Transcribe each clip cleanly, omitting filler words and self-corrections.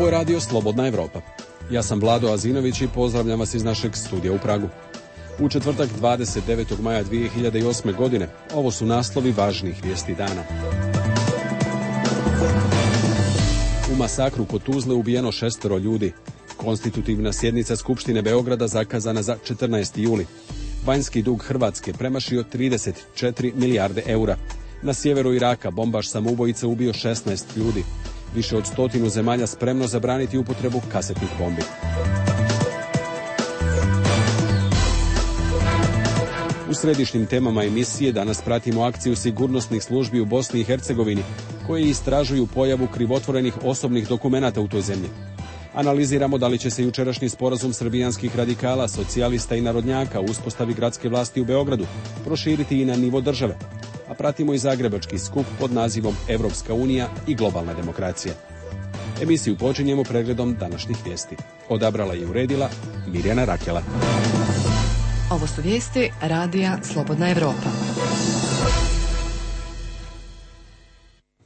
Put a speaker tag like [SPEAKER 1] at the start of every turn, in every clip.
[SPEAKER 1] Ovo je radio Slobodna Evropa. Ja sam Vlado Azinović i pozdravljam vas iz našeg studija u Pragu. U četvrtak 29. maja 2008. godine ovo su naslovi važnih vijesti dana. U masakru kod Tuzle ubijeno 6 ljudi. Konstitutivna sjednica Skupštine Beograda zakazana za 14. juli. Vanjski dug Hrvatske premašio 34 milijarde eura. Na sjeveru Iraka bombaš samoubojica ubio 16 ljudi. Više od 100 zemalja spremno zabraniti upotrebu kasetnih bombi. U središnjim temama emisije danas pratimo akciju sigurnosnih službi u Bosni i Hercegovini koje istražuju pojavu krivotvorenih osobnih dokumenata u toj zemlji. Analiziramo da li će se jučerašnji sporazum srbijanskih radikala, socijalista i narodnjaka u uspostavi gradske vlasti u Beogradu proširiti i na nivo države. A pratimo i zagrebački skup pod nazivom Evropska unija i globalna demokracija. Emisiju počinjemo pregledom današnjih vijesti. Odabrala i uredila Mirjana Rakela.
[SPEAKER 2] Ovo su vijesti radija Slobodna Evropa.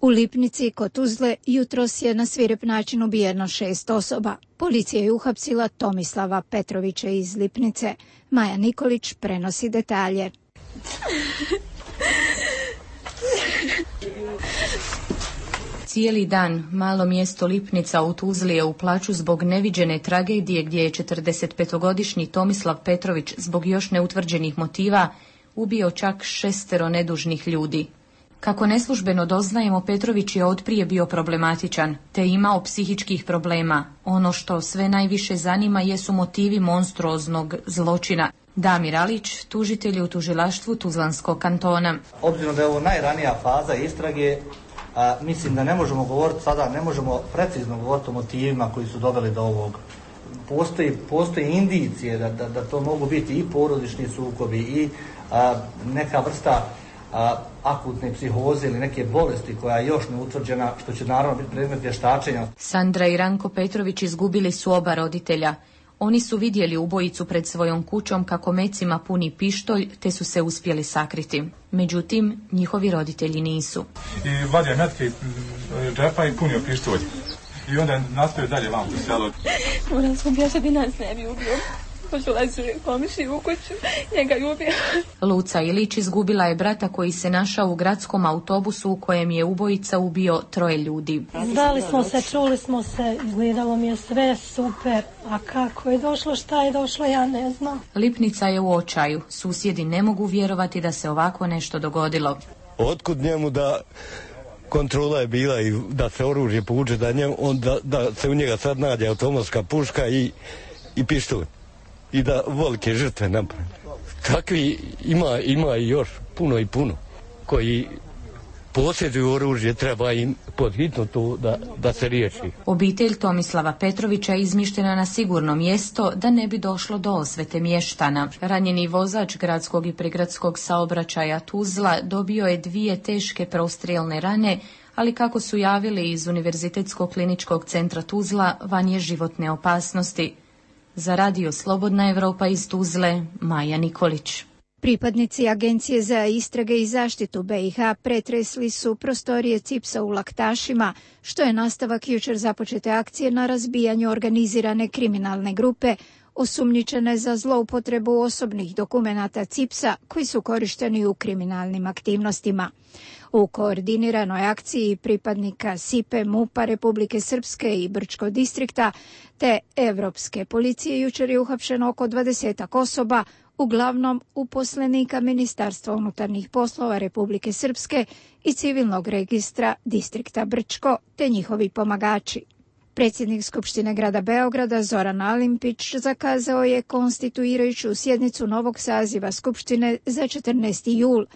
[SPEAKER 3] U Lipnici kod Tuzle jutros je na svirep način ubijeno 6 osoba. Policija je uhapsila Tomislava Petrovića iz Lipnice. Maja Nikolić prenosi detalje.
[SPEAKER 4] Cijeli dan malo mjesto Lipnica u Tuzli je u plaću zbog neviđene tragedije gdje je 45-godišnji Tomislav Petrović zbog još neutvrđenih motiva ubio čak 6 nedužnih ljudi. Kako neslužbeno doznajemo, Petrović je otprije bio problematičan, te imao psihičkih problema. Ono što sve najviše zanima jesu motivi monstruoznog zločina. Damir Alić, tužitelj u tužilaštvu Tuzlanskog kantona.
[SPEAKER 5] Obzirom da je ovo najranija faza istrage, mislim da ne možemo govoriti sada, ne možemo precizno govoriti o motivima koji su doveli do ovog. Postoji indicije da to mogu biti i porodični sukobi i neka vrsta akutne psihoze ili neke bolesti koja je još neutvrđena, što će naravno biti predmet vještačenja.
[SPEAKER 4] Sandra i Ranko Petrović izgubili su oba roditelja. Oni su vidjeli ubojicu pred svojom kućom kako mecima puni pištolj, te su se uspjeli sakriti. Međutim, njihovi roditelji nisu.
[SPEAKER 6] I vadio metke džepa i punio pištolj. I onda nastavio dalje vam po selu.
[SPEAKER 7] Moram sam bježati da bi nas ne bi ubio. Pošulazi komiši u kuću, njega je ubio.
[SPEAKER 4] Luca Ilić izgubila je brata koji se našao u gradskom autobusu u kojem je ubojica ubio 3 ljudi.
[SPEAKER 8] Znali smo se, čuli smo se, izgledalo mi je sve super, a kako je došlo, šta je došlo, ja ne znam.
[SPEAKER 4] Lipnica je u očaju, susjedi ne mogu vjerovati da se ovako nešto dogodilo.
[SPEAKER 9] Otkud njemu da kontrola je bila i da se oružje povuče, da se u njega sad nađe automatska puška i pištolj. I da velike žrtve napravi. Takvi ima i još puno i puno koji posjeduju oružje, treba im podhitno to da se riješi.
[SPEAKER 4] Obitelj Tomislava Petrovića je izmještena na sigurno mjesto da ne bi došlo do osvete mještana. Ranjeni vozač gradskog i prigradskog saobraćaja Tuzla dobio je 2 teške prostrijelne rane, ali kako su javili iz Univerzitetskog kliničkog centra Tuzla, van je životne opasnosti. Za radio Slobodna Evropa iz Tuzle, Maja Nikolić.
[SPEAKER 3] Pripadnici Agencije za istrage i zaštitu BiH pretresli su prostorije CIPS-a u Laktašima, što je nastavak jučer započete akcije na razbijanju organizirane kriminalne grupe, osumnjičene za zloupotrebu osobnih dokumenata CIPS-a koji su korišteni u kriminalnim aktivnostima. U koordiniranoj akciji pripadnika SIPE, MUP-a Republike Srpske i Brčko distrikta te Evropske policije jučer je uhapšeno oko 20 osoba, uglavnom uposlenika Ministarstva unutarnjih poslova Republike Srpske i civilnog registra distrikta Brčko te njihovi pomagači. Predsjednik Skupštine grada Beograda Zoran Alimpić zakazao je konstituirajuću sjednicu novog saziva Skupštine za 14. jul.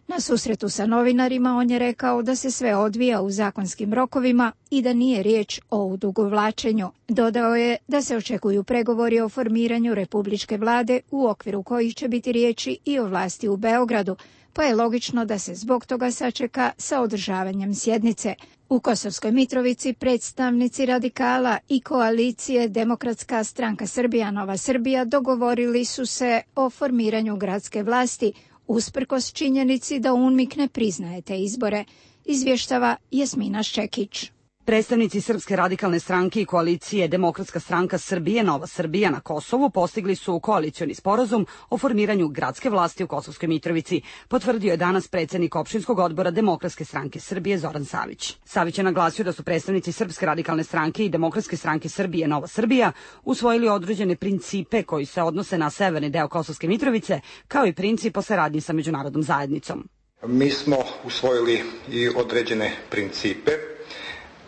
[SPEAKER 3] Na susretu sa novinarima on je rekao da se sve odvija u zakonskim rokovima i da nije riječ o odugovlačenju. Dodao je da se očekuju pregovori o formiranju republičke vlade u okviru kojih će biti riječi i o vlasti u Beogradu, pa je logično da se zbog toga sačeka sa održavanjem sjednice. U Kosovskoj Mitrovici predstavnici radikala i koalicije Demokratska stranka Srbija Nova Srbija dogovorili su se o formiranju gradske vlasti, usprkos činjenici da UNMIK ne priznaje te izbore, izvještava Jasmina Ščekić.
[SPEAKER 10] Predstavnici Srpske radikalne stranke i koalicije Demokratska stranka Srbije, Nova Srbija na Kosovu postigli su koalicioni sporazum o formiranju gradske vlasti u Kosovskoj Mitrovici, potvrdio je danas predsjednik opštinskog odbora Demokratske stranke Srbije Zoran Savić. Savić je naglasio da su predstavnici Srpske radikalne stranke i Demokratske stranke Srbije, Nova Srbija usvojili određene principe koji se odnose na severni deo Kosovske Mitrovice, kao i princip o saradnji sa međunarodnom zajednicom.
[SPEAKER 11] Mi smo usvojili i određene principe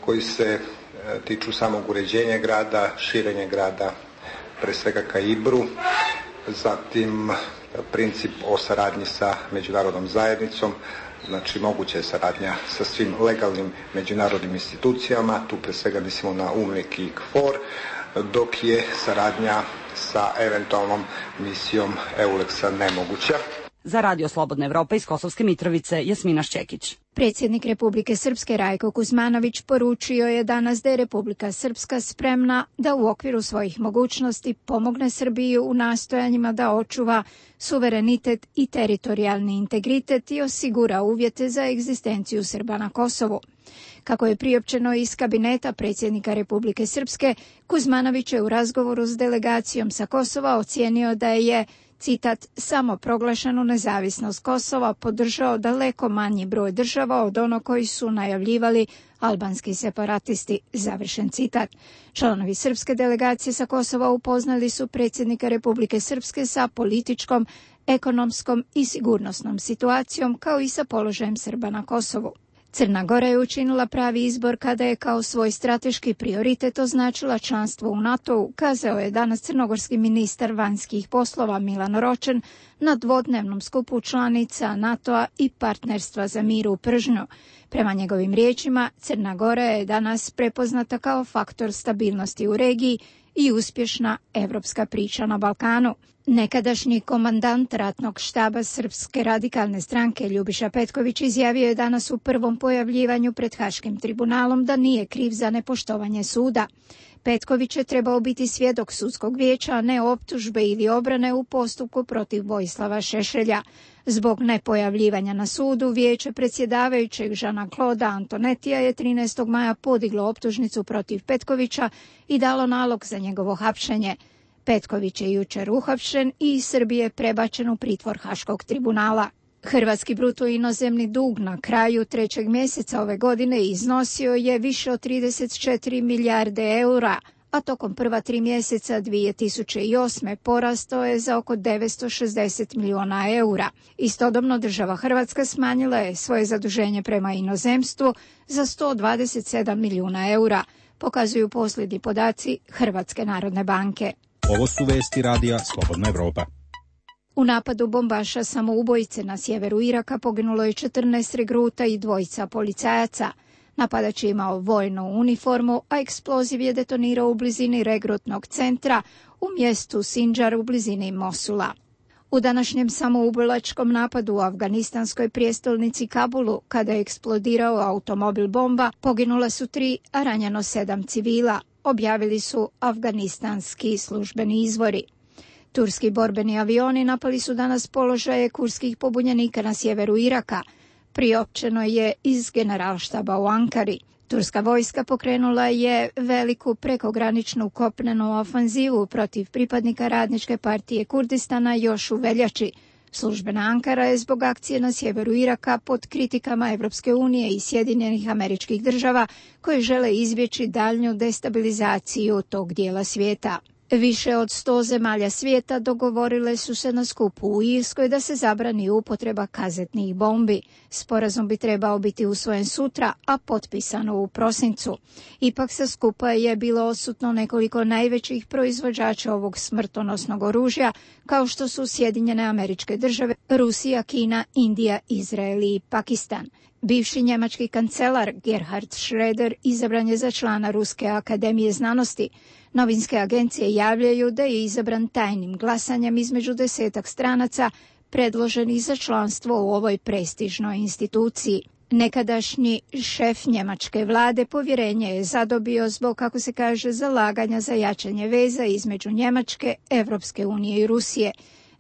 [SPEAKER 11] koji se tiču samog uređenja grada, širenja grada, pre svega ka Ibru, zatim princip o saradnji sa međunarodnom zajednicom, znači moguća je saradnja sa svim legalnim međunarodnim institucijama, tu pre svega mislimo na UNMIK i KFOR, dok je saradnja sa eventualnom misijom EULEX-a nemoguća.
[SPEAKER 10] Za Radio Slobodna Evropa iz Kosovske Mitrovice, Jasmina Šćekić.
[SPEAKER 3] Predsjednik Republike Srpske Rajko Kuzmanović poručio je danas da je Republika Srpska spremna da u okviru svojih mogućnosti pomogne Srbiji u nastojanjima da očuva suverenitet i teritorijalni integritet i osigura uvjete za egzistenciju Srba na Kosovu. Kako je priopćeno iz kabineta predsjednika Republike Srpske, Kuzmanović je u razgovoru s delegacijom sa Kosova ocijenio da je, citat, samo proglašenu nezavisnost Kosova podržao daleko manji broj država od ono koji su najavljivali albanski separatisti, završen citat. Članovi srpske delegacije sa Kosova upoznali su predsjednika Republike Srpske sa političkom, ekonomskom i sigurnosnom situacijom, kao i sa položajem Srba na Kosovu. Crna Gora je učinila pravi izbor kada je kao svoj strateški prioritet označila članstvo u NATO-u, kazao je danas crnogorski ministar vanjskih poslova Milan Ročen na dvodnevnom skupu članica NATO-a i partnerstva za mir u Pržnju. Prema njegovim riječima, Crna Gora je danas prepoznata kao faktor stabilnosti u regiji i uspješna evropska priča na Balkanu. Nekadašnji komandant ratnog štaba Srpske radikalne stranke Ljubiša Petković izjavio je danas u prvom pojavljivanju pred Haškim tribunalom da nije kriv za nepoštovanje suda. Petković je trebao biti svjedok sudskog vijeća, a ne optužbe ili obrane u postupku protiv Vojislava Šešelja. Zbog nepojavljivanja na sudu, vijeće predsjedavajućeg Jeana-Claude Antonetija je 13. maja podiglo optužnicu protiv Petkovića i dalo nalog za njegovo hapšenje. Petković je jučer uhapšen i iz Srbije prebačen u pritvor Haškog tribunala. Hrvatski bruto inozemni dug na kraju 3. mjeseca ove godine iznosio je više od 34 milijarde eura, a tokom prva 3 mjeseca 2008. porastao je za oko 960 milijuna eura. Istodobno država Hrvatska smanjila je svoje zaduženje prema inozemstvu za 127 milijuna eura, pokazuju posljednji podaci Hrvatske narodne banke.
[SPEAKER 12] Ovo su vesti Radija Slobodna Evropa.
[SPEAKER 3] U napadu bombaša samoubojice na sjeveru Iraka poginulo je 14 regruta i 2 policajaca. Napadač je imao vojnu uniformu, a eksploziv je detonirao u blizini regrutnog centra u mjestu Sinjar u blizini Mosula. U današnjem samoubilačkom napadu u afganistanskoj prijestolnici Kabulu, kada je eksplodirao automobil bomba, poginula su 3, a ranjeno 7 civila, objavili su afganistanski službeni izvori. Turski borbeni avioni napali su danas položaje kurdskih pobunjenika na sjeveru Iraka, priopćeno je iz generalštaba u Ankari. Turska vojska pokrenula je veliku prekograničnu kopnenu ofanzivu protiv pripadnika Radničke partije Kurdistana još u veljači. Službena Ankara je zbog akcije na sjeveru Iraka pod kritikama Evropske unije i Sjedinjenih Američkih Država koje žele izbjeći daljnju destabilizaciju tog dijela svijeta. Više od 100 zemalja svijeta dogovorile su se na skupu u Irskoj da se zabrani upotreba kazetnih bombi. Sporazum bi trebao biti usvojen sutra, a potpisano u prosincu. Ipak sa skupa je bilo odsutno nekoliko najvećih proizvođača ovog smrtonosnog oružja, kao što su Sjedinjene Američke Države, Rusija, Kina, Indija, Izrael i Pakistan. Bivši njemački kancelar Gerhard Schröder izabran je za člana Ruske akademije znanosti. Novinske agencije javljaju da je izabran tajnim glasanjem između 10 stranaca predloženih za članstvo u ovoj prestižnoj instituciji. Nekadašnji šef njemačke vlade povjerenje je zadobio zbog, kako se kaže, zalaganja za jačanje veza između Njemačke, Evropske unije i Rusije.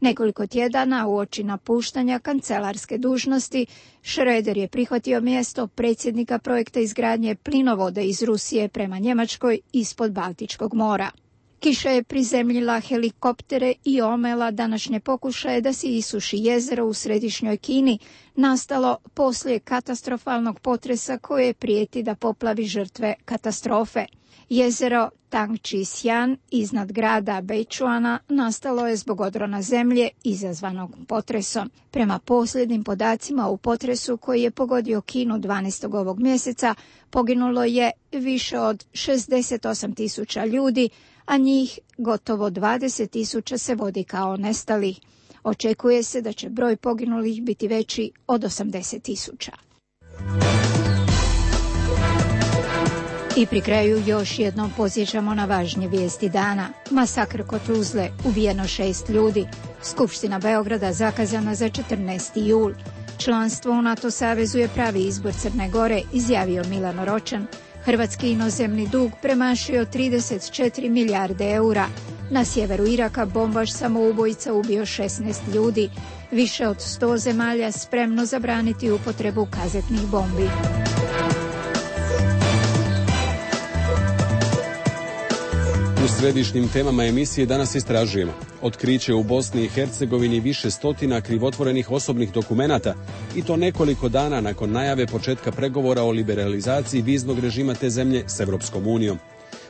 [SPEAKER 3] Nekoliko tjedana uoči napuštanja kancelarske dužnosti, Schröder je prihvatio mjesto predsjednika projekta izgradnje plinovoda iz Rusije prema Njemačkoj ispod Baltičkog mora. Kiša je prizemljila helikoptere i omela današnje pokušaje da se isuši jezero u središnjoj Kini, nastalo poslije katastrofalnog potresa koje prijeti da poplavi žrtve katastrofe. Jezero Tangchi-Sian iznad grada Beichuana nastalo je zbog odrona zemlje izazvanog potresom. Prema posljednjim podacima u potresu koji je pogodio Kinu 12. ovog mjeseca poginulo je više od 68.000 ljudi, a njih gotovo 20.000 se vodi kao nestali. Očekuje se da će broj poginulih biti veći od 80.000. I pri kraju još jednom podsjećamo na važnje vijesti dana. Masakr kod Tuzle, ubijeno 6 ljudi. Skupština Beograda zakazana za 14. jul. Članstvo u NATO savezu je pravi izbor Crne Gore, izjavio Milano Ročan. Hrvatski inozemni dug premašio 34 milijarde eura. Na sjeveru Iraka bombaš samoubojica ubio 16 ljudi. Više od 100 zemalja spremno zabraniti upotrebu kazetnih bombi.
[SPEAKER 1] U središnjim temama emisije danas istražujemo otkriće u Bosni i Hercegovini više stotina krivotvorenih osobnih dokumenata i to nekoliko dana nakon najave početka pregovora o liberalizaciji viznog režima te zemlje s Europskom unijom.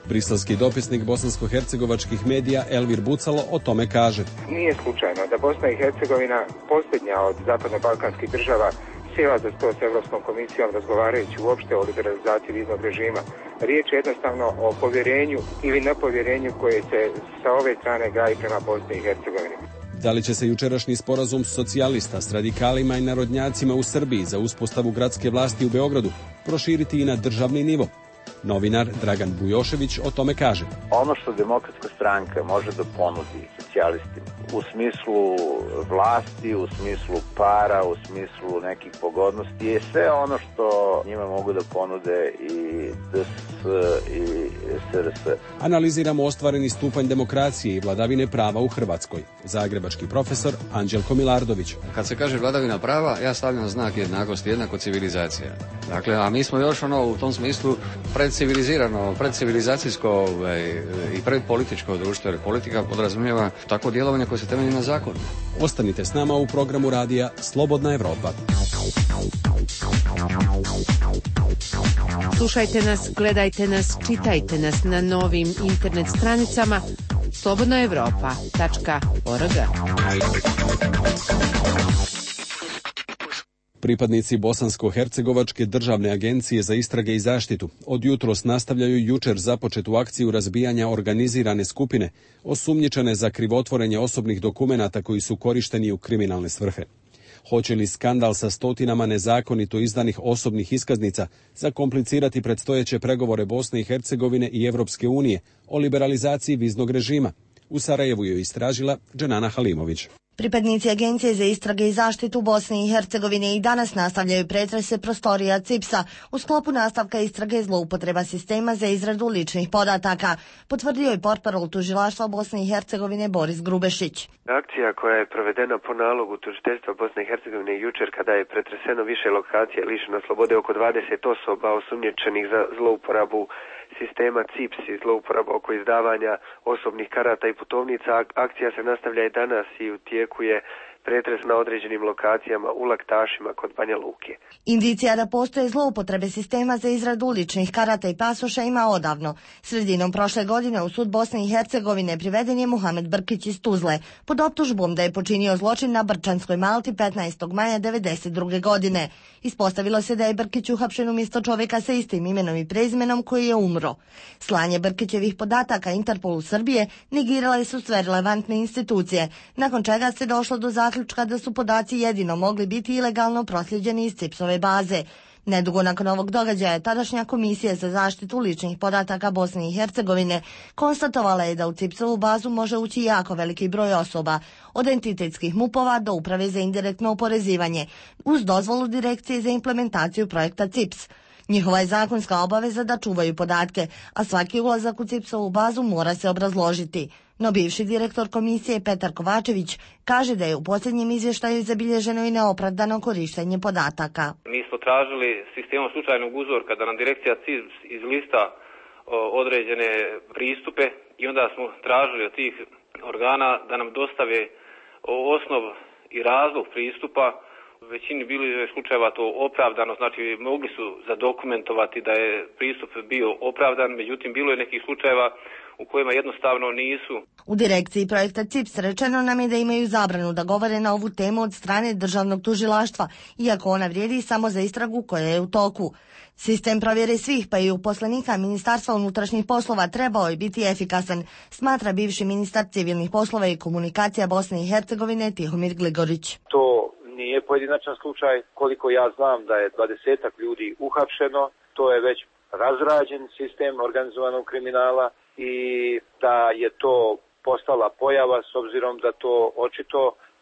[SPEAKER 1] Briselski dopisnik bosansko-hercegovačkih medija Elvir Bucalo o tome kaže:
[SPEAKER 13] Nije slučajno da Bosna i Hercegovina, posljednja od zapadno-balkanskih država, sjela za sto s Europskom komisijom razgovarajući uopšte o liberalizaciji viznog režima. Riječ je jednostavno o povjerenju ili nepovjerenju koje se sa ove strane gaji prema Bosni i Hercegovini.
[SPEAKER 1] Da li će se jučerašnji sporazum socijalista s radikalima i narodnjacima u Srbiji za uspostavu gradske vlasti u Beogradu proširiti i na državni nivo? Novinar Dragan Bujošević o tome kaže:
[SPEAKER 14] Ono što Demokratska stranka može da ponudi socijalistima u smislu vlasti, u smislu para, u smislu nekih pogodnosti je sve ono što njima mogu da ponude i DS i SRS.
[SPEAKER 1] Analiziramo ostvareni stupanj demokracije i vladavine prava u Hrvatskoj. Zagrebački profesor Anđelko Milardović.
[SPEAKER 15] Kad se kaže vladavina prava, ja stavljam znak jednakosti, jednako civilizacija. Dakle, a mi smo još u tom smislu predcivilizirano, predcivilizacijsko i predpolitičko društvo, jer politika podrazumijeva takvo djelovanje koje se temelji na zakonu.
[SPEAKER 1] Ostanite s nama u programu radija Slobodna Evropa.
[SPEAKER 16] Slušajte nas, gledajte nas, čitajte nas na novim internet stranicama slobodnaevropa.org.
[SPEAKER 1] Pripadnici Bosansko-hercegovačke državne agencije za istrage i zaštitu od jutros nastavljaju jučer započetu akciju razbijanja organizirane skupine osumnjičene za krivotvorenje osobnih dokumenata koji su korišteni u kriminalne svrhe. Hoće li skandal sa stotinama nezakonito izdanih osobnih iskaznica zakomplicirati predstojeće pregovore Bosne i Hercegovine i Europske unije o liberalizaciji viznog režima? U Sarajevu je istražila Dženana Halimović.
[SPEAKER 17] Pripadnici Agencije za istrage i zaštitu Bosne i Hercegovine i danas nastavljaju pretrese prostorija CIPS-a u sklopu nastavka istrage zloupotreba sistema za izradu ličnih podataka, potvrdio je portparol tužilaštva Bosne i Hercegovine Boris Grubešić.
[SPEAKER 18] Akcija koja je provedena po nalogu tužiteljstva Bosne i Hercegovine jučer kada je pretreseno više lokacija lišeno slobode oko 20 osoba osumnjičenih za zlouporabu sistema CIPS i zlouporaba oko izdavanja osobnih karata i putovnica. Akcija se nastavlja i danas i u tijeku je pretres na određenim lokacijama u Laktašima kod Banja Luke.
[SPEAKER 17] Indicija da postoje zloupotrebe sistema za izradu ličnih karata i pasoša ima odavno. Sredinom prošle godine u sud Bosne i Hercegovine priveden je Muhamed Brkić iz Tuzle pod optužbom da je počinio zločin na Brčanskoj Malti 15. maja 1992. godine. Ispostavilo se da je Brkić uhapšen umjesto čovjeka sa istim imenom i prezimenom koji je umro. Slanje Brkićevih podataka Interpolu Srbije negirale su sve relevantne institucije, nakon čega se došlo do zaključka da su podaci jedino mogli biti ilegalno prosljeđeni iz CIPS-ove baze. Nedugo nakon ovog događaja, tadašnja Komisija za zaštitu ličnih podataka Bosne i Hercegovine konstatovala je da u CIPS-ovu bazu može ući jako veliki broj osoba, od entitetskih MUP-ova do Uprave za indirektno oporezivanje, uz dozvolu Direkcije za implementaciju projekta CIPS. Njihova je zakonska obaveza da čuvaju podatke, a svaki ulazak u CIPS-ovu bazu mora se obrazložiti. No bivši direktor komisije Petar Kovačević kaže da je u posljednjem izvještaju zabilježeno i neopravdano korištenje podataka.
[SPEAKER 19] Mi smo tražili sistemom slučajnog uzorka da nam direkcija CIPS izlista određene pristupe i onda smo tražili od tih organa da nam dostave osnov i razlog pristupa. U većini bili slučajeva to opravdano, znači mogli su zadokumentovati da je pristup bio opravdan, međutim bilo je nekih slučajeva u kojima jednostavno nisu.
[SPEAKER 17] U direkciji projekta CIPS rečeno nam je da imaju zabranu da govore na ovu temu od strane državnog tužilaštva, iako ona vrijedi samo za istragu koja je u toku. Sistem provjere svih, pa i uposlenika Ministarstva unutrašnjih poslova trebao je biti efikasan, smatra bivši ministar civilnih poslova i komunikacija Bosne i Hercegovine Tihomir Gligorić.
[SPEAKER 20] To nije pojedinačan slučaj, koliko ja znam da je 20 ljudi uhapšeno, to je već razrađen sistem organizovanog kriminala i da je to postala pojava s obzirom da to očito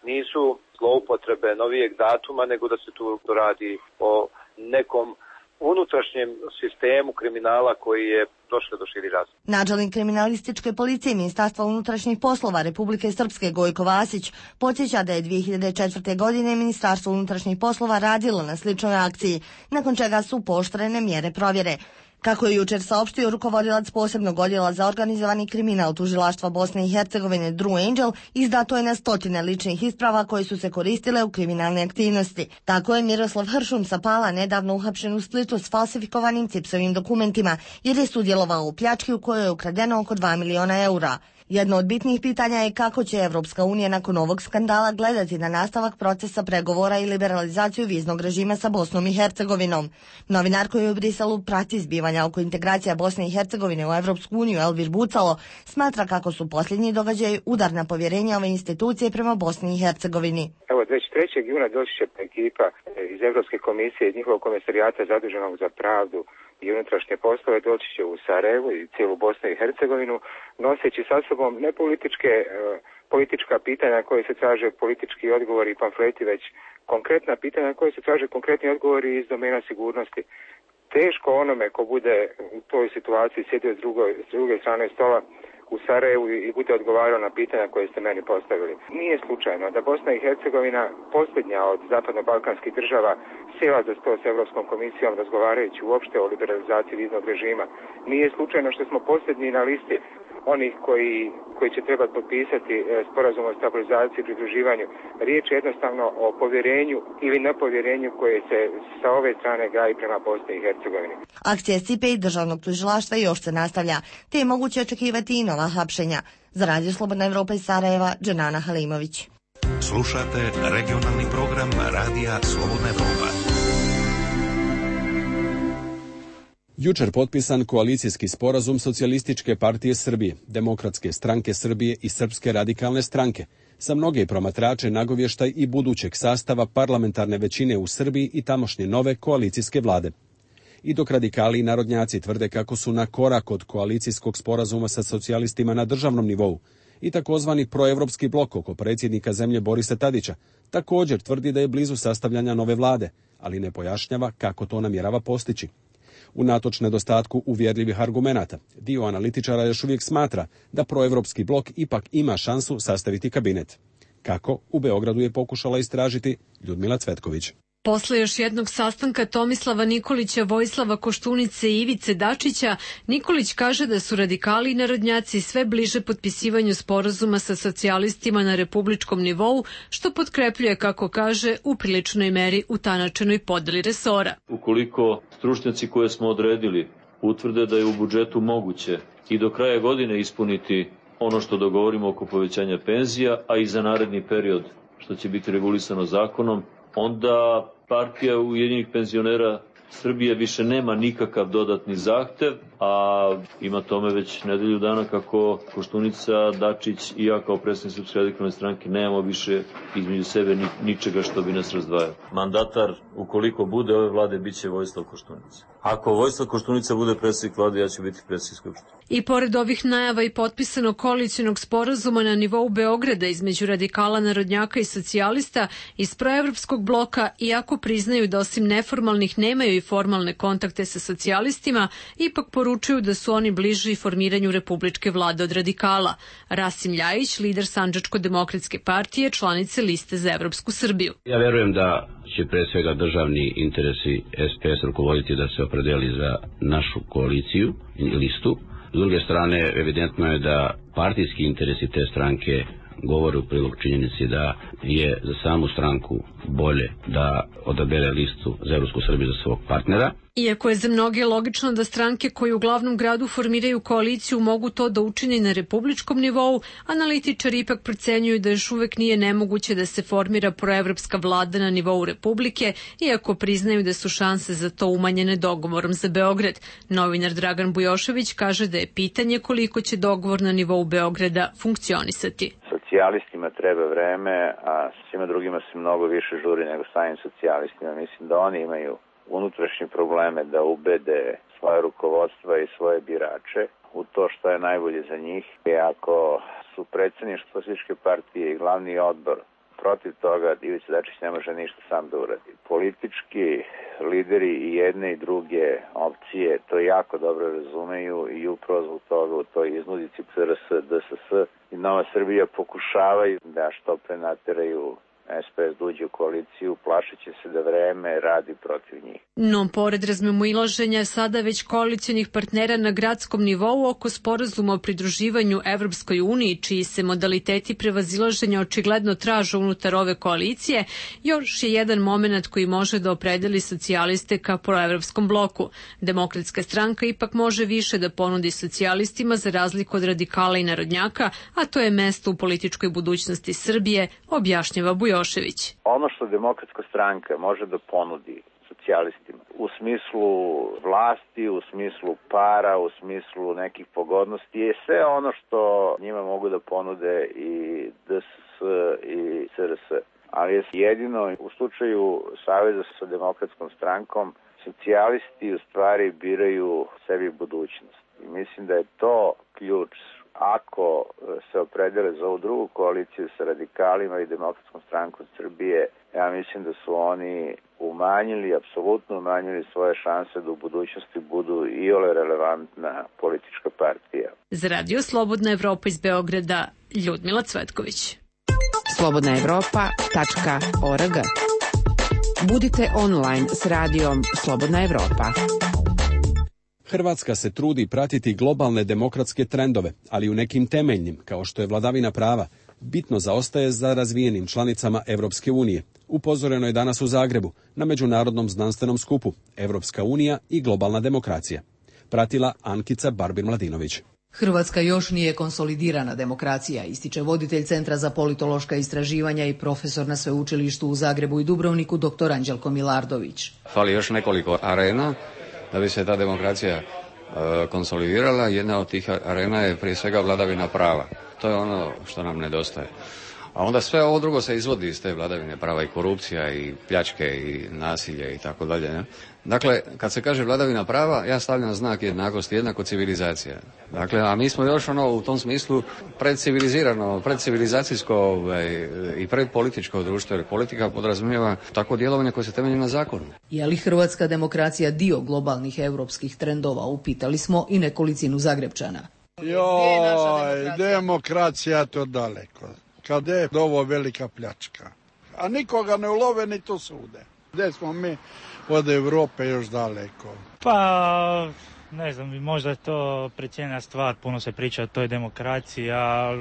[SPEAKER 20] nisu zloupotrebe novijeg datuma, nego da se tu radi o nekom unutrašnjem sistemu kriminala koji je došao do širi razmjera.
[SPEAKER 17] Načelnik kriminalističke policije Ministarstva unutrašnjih poslova Republike Srpske Gojko Vasić podsjeća da je 2004. godine Ministarstvo unutrašnjih poslova radilo na sličnoj akciji, nakon čega su pooštrene mjere provjere. Kako je jučer saopštio rukovodilac posebnog odjela za organizovani kriminal tužilaštva Bosne i Hercegovine Drew Angel, izdato je na stotine ličnih isprava koje su se koristile u kriminalne aktivnosti. Tako je Miroslav Hršun sa Pala nedavno uhapšen u Splitu s falsifikovanim CIPS-ovim dokumentima, jer je sudjelovao u pljački u kojoj je ukradeno oko 2 miliona eura. Jedno od bitnih pitanja je kako će Evropska unija nakon ovog skandala gledati na nastavak procesa pregovora i liberalizaciju viznog režima sa Bosnom i Hercegovinom. Novinar koji u Briselu prati zbivanja oko integracija Bosne i Hercegovine u Evropsku uniju Elvir Bucalo smatra kako su posljednji događaji udar na povjerenje ove institucije prema Bosni i Hercegovini.
[SPEAKER 13] Evo, 23. juna doći će ekipa iz Evropske komisije i njihovog komisarijata zaduženog za pravdu i unutrašnje poslove, doći će u Sarajevo i cijelu Bosnu i Hercegovinu, noseći sa sobom ne politička pitanja koje se traže politički odgovori i pamfleti, već konkretna pitanja koje se traže konkretni odgovori iz domena sigurnosti. Teško onome ko bude u toj situaciji sjedio s druge strane stola u Sarajevu i bude odgovarao na pitanja koje ste meni postavili. Nije slučajno da Bosna i Hercegovina, posljednja od zapadno-balkanskih država, sjela za sto s Europskom komisijom razgovarajući uopšte o liberalizaciji viznog režima. Nije slučajno što smo posljednji na listi onih koji će trebati potpisati sporazum o stabilizaciji i pridruživanju. Riječ je jednostavno o povjerenju ili nepovjerenju koje se sa ove strane gaji prema Bosni i Hercegovini.
[SPEAKER 17] Akcija SIPE i državnog tužilaštva još se nastavlja, te je moguće očekivati i nova hapšenja. Za Radio Slobodna Evropa iz Sarajeva, Dženana Halimović.
[SPEAKER 21] Slušate regionalni program Radija Slobodna Evropa.
[SPEAKER 1] Jučer potpisan koalicijski sporazum Socijalističke partije Srbije, Demokratske stranke Srbije i Srpske radikalne stranke, za mnoge promatrače nagovještaj i budućeg sastava parlamentarne većine u Srbiji i tamošnje nove koalicijske vlade. I dok radikali i narodnjaci tvrde kako su na korak od koalicijskog sporazuma sa socijalistima na državnom nivou, i takozvani proevropski blok oko predsjednika zemlje Borisa Tadića također tvrdi da je blizu sastavljanja nove vlade, ali ne pojašnjava kako to namjerava postići. Unatoč nedostatku uvjerljivih argumenata, dio analitičara još uvijek smatra da proevropski blok ipak ima šansu sastaviti kabinet. Kako, u Beogradu je pokušala istražiti Ljudmila Cvetković.
[SPEAKER 22] Posle još jednog sastanka Tomislava Nikolića, Vojislava Koštunice i Ivice Dačića, Nikolić kaže da su radikali i narodnjaci sve bliže potpisivanju sporazuma sa socijalistima na republičkom nivou, što potkrepljuje, kako kaže, u priličnoj meri utanačenoj podeli resora.
[SPEAKER 23] Ukoliko stručnjaci koje smo odredili utvrde da je u budžetu moguće i do kraja godine ispuniti ono što dogovorimo oko povećanja penzija, a i za naredni period što će biti regulisano zakonom, onda partija Ujedinjenih penzionera Srbije više nema nikakav dodatni zahtev, a ima tome već nedelju dana kako Koštunica, Dačić i ja kao predsjednik Srpske radikalne stranke nemamo više između sebe ničega što bi nas razdvajalo. Mandatar, ukoliko bude ove vlade, bit će Vojislav Koštunica. Ako Vojislav Koštunica bude predsjednik vlade, ja ću biti predsjednik Skupštine.
[SPEAKER 22] I pored ovih najava i potpisanog koalicionog sporazuma na nivou Beograda između radikala, narodnjaka i socijalista iz proevropskog bloka, iako priznaju da osim neformalnih nemaju i i formalne kontakte sa socijalistima, ipak poručuju da su oni bliži formiranju republičke vlade od radikala. Rasim Ljajić, lider Sandžačko-demokratske partije, članice liste za Evropsku Srbiju.
[SPEAKER 2] Ja verujem da će pre svega državni interesi SPS rukovoditi da se opredeli za našu koaliciju i listu. S druge strane, evidentno je da partijski interesi te stranke govore u prilog činjenici da je za samu stranku bolje da odabere listu za Evropsku Srbiju za svog partnera.
[SPEAKER 22] Iako je za mnoge logično da stranke koje u glavnom gradu formiraju koaliciju mogu to da učine na republičkom nivou, analitičari ipak procenjuju da još uvek nije nemoguće da se formira proevropska vlada na nivou republike, iako priznaju da su šanse za to umanjene dogovorom za Beograd. Novinar Dragan Bujošević kaže da je pitanje koliko će dogovor na nivou Beograda funkcionisati.
[SPEAKER 14] Socijalistima treba vreme, a svima drugima se mnogo više žuri nego samim socijalistima. Mislim da oni imaju unutrašnje probleme da ubede svoje rukovodstva i svoje birače u to što je najbolje za njih. I ako su predsjedništvo Socijalističke partije i glavni odbor protiv toga, Ivica Dačić ne može ništa sam da uradi. Politički lideri i jedne i druge opcije to jako dobro razumeju i upravo zbog toga u toj iznudici CRS, DSS i Nova Srbija pokušavaju da što pre nateraju SPS da uđe u koaliciju, plašeći se da vreme radi protiv njih.
[SPEAKER 22] No, pored razmimoilaženja sada već koalicionih partnera na gradskom nivou oko sporazuma o pridruživanju Evropskoj uniji, čiji se modaliteti prevazilaženja očigledno traže unutar ove koalicije, još je jedan moment koji može da opredeli socijaliste ka proevropskom bloku. Demokratska stranka ipak može više da ponudi socijalistima za razliku od radikala i narodnjaka, a to je mesto u političkoj budućnosti Srbije, objašnjava Bujošević.
[SPEAKER 14] Ono što Demokratska stranka može da ponudi socijalistima u smislu vlasti, u smislu para, u smislu nekih pogodnosti je sve ono što njima mogu da ponude i DSS i CRS. Ali je jedino u slučaju saveza sa Demokratskom strankom socijalisti u stvari biraju sebi budućnost. I mislim da je to ključ. Ako se opredele za ovu drugu koaliciju sa radikalima i Demokratskom strankom Srbije, ja mislim da su oni apsolutno umanjili svoje šanse da u budućnosti budu iole relevantna politička partija.
[SPEAKER 22] Za Radio Slobodna Evropa iz Beograda, Ljudmila Cvetković.
[SPEAKER 16] slobodnaevropa.org. Budite online s radijom Slobodna Evropa.
[SPEAKER 1] Hrvatska se trudi pratiti globalne demokratske trendove, ali u nekim temeljnim, kao što je vladavina prava, bitno zaostaje za razvijenim članicama Evropske unije. Upozoreno je danas u Zagrebu na međunarodnom znanstvenom skupu Evropska unija i globalna demokracija. Pratila Ankica Barbir-Mladinović.
[SPEAKER 5] Hrvatska još nije konsolidirana demokracija, ističe voditelj Centra za politološka istraživanja i profesor na sveučilištu u Zagrebu i Dubrovniku dr. Anđelko Milardović.
[SPEAKER 15] Fali još nekoliko arena da bi se ta demokracija konsolidirala. Jedna od tih arena je prije svega vladavina prava. To je ono što nam nedostaje. A onda sve ovo drugo se izvodi iz te vladavine prava, i korupcija, i pljačke, i nasilje, i tako dalje. Ne? Dakle, kad se kaže vladavina prava, ja stavljam znak jednakosti, jednako civilizacija. Dakle, a mi smo još u tom smislu predcivilizacijsko i predpolitičko društvo, jer politika podrazumijeva tako djelovanje koje se temelji na zakonu.
[SPEAKER 5] Je li hrvatska demokracija dio globalnih europskih trendova, upitali smo i nekolicinu Zagrebčana.
[SPEAKER 6] Joj, demokracija to daleko. Kad je ovo velika pljačka. A nikoga ne ulove ni to sude. Gdje smo mi od Evrope još daleko?
[SPEAKER 24] Pa, ne znam, možda je to precijenjena stvar, puno se priča o toj demokraciji, a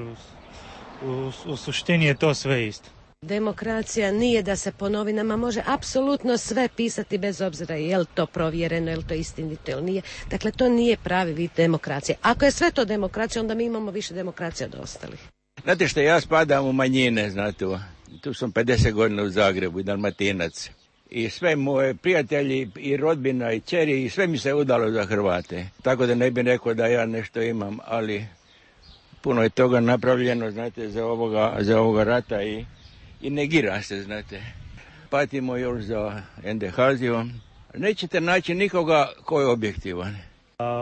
[SPEAKER 24] u suštini je to sve isto.
[SPEAKER 25] Demokracija nije da se po novinama može apsolutno sve pisati bez obzira je li to provjereno, je li to istinito ili nije. Dakle, to nije pravi vid demokracije. Ako je sve to demokracija, onda mi imamo više demokracije od ostalih.
[SPEAKER 26] Znate što, ja spadam u manjine, znate, tu sam 50 godina u Zagrebu i Dalmatinac. I sve moje prijatelji i rodbina i ćeri i sve mi se udalo za Hrvate. Tako da ne bih rekao da ja nešto imam, ali puno je toga napravljeno, znate, za ovoga rata i negira se, znate. Patimo još za NDH-zijom. Nećete naći nikoga ko je objektivan.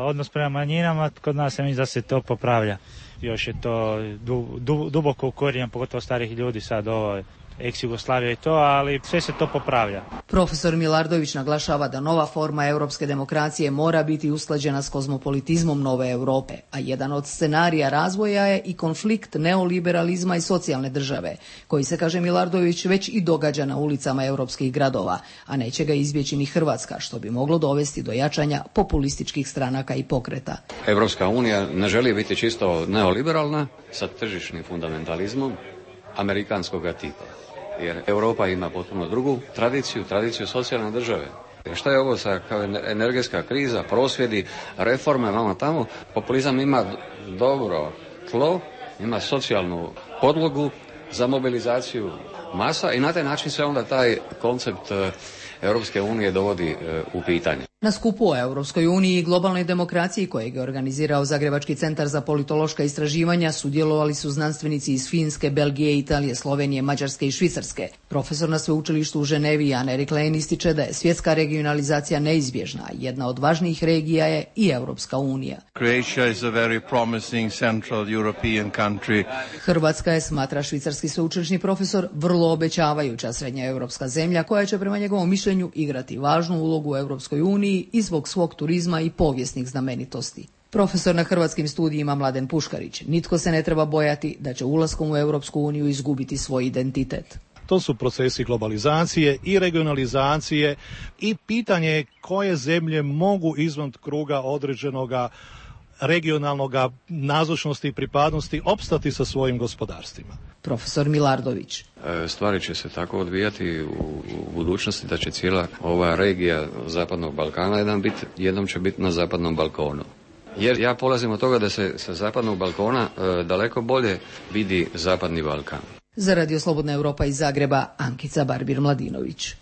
[SPEAKER 24] Odnos prema manjinama, kod nas se misli da se to popravlja. Još je to duboko ukorijenjeno, pogotovo starih ljudi sad ovo ex-Jugoslavija i to, ali sve se to popravlja.
[SPEAKER 5] Profesor Milardović naglašava da nova forma europske demokracije mora biti usklađena s kozmopolitizmom nove Europe, a jedan od scenarija razvoja je i konflikt neoliberalizma i socijalne države, koji se, kaže Milardović, već i događa na ulicama europskih gradova, a neće ga izbjeći ni Hrvatska, što bi moglo dovesti do jačanja populističkih stranaka i pokreta.
[SPEAKER 15] Europska unija ne želi biti čisto neoliberalna sa tržišnim fundamentalizmom amerikanskog tipa. Jer Europa ima potpuno drugu tradiciju socijalne države. Šta je ovo sa kao energetska kriza, prosvjedi, reforme, vamo tamo? Populizam ima dobro tlo, ima socijalnu podlogu za mobilizaciju masa i na taj način se onda taj koncept Europske unije dovodi u pitanje.
[SPEAKER 5] Na skupu o Europskoj uniji i globalnoj demokraciji kojeg je organizirao Zagrebački centar za politološka istraživanja sudjelovali su znanstvenici iz Finske, Belgije, Italije, Slovenije, Mađarske i Švicarske. Profesor na sveučilištu u Ženevi Jan Erik Lehn ističe da je svjetska regionalizacija neizbježna, a jedna od važnijih regija je i Europska unija.
[SPEAKER 4] Croatia is a very promising central European country.
[SPEAKER 5] Hrvatska je, smatra švicarski sveučilišni profesor, vrlo obećavajuća srednja europska zemlja koja će prema njegovom mišljenju igrati važnu ulogu u Europskoj uniji i zbog svog turizma i povijesnih znamenitosti. Profesor na hrvatskim studijima Mladen Puškarić: nitko se ne treba bojati da će ulaskom u Europsku uniju izgubiti svoj identitet.
[SPEAKER 7] To su procesi globalizacije i regionalizacije i pitanje je koje zemlje mogu izvan kruga određenoga regionalnog nazočnosti i pripadnosti opstati sa svojim gospodarstvima.
[SPEAKER 5] Profesor Milardović:
[SPEAKER 15] stvari će se tako odvijati u budućnosti da će cijela ova regija Zapadnog Balkana jednom će biti na Zapadnom Balkonu. Jer ja polazim od toga da se sa Zapadnog Balkona daleko bolje vidi Zapadni Balkan.
[SPEAKER 5] Za Radio Slobodna Europa iz Zagreba, Ankica Barbir-Mladinović.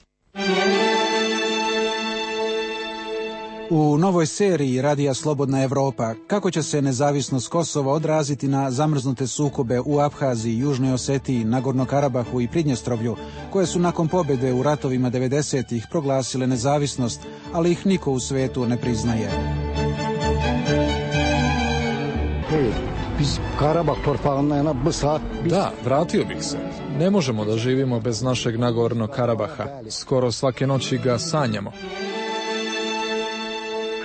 [SPEAKER 8] U novoj seriji Radija Slobodna Europa kako će se nezavisnost Kosova odraziti na zamrznute sukobe u Abhaziji, Južnoj Osetiji, Nagorno Karabahu i Pridnjestrovlju, koje su nakon pobjede u ratovima 90-ih proglasile nezavisnost, ali ih niko u svetu ne priznaje.
[SPEAKER 9] Da, vratio bih se. Ne možemo da živimo bez našeg Nagorno Karabaha. Skoro svake noći ga sanjamo.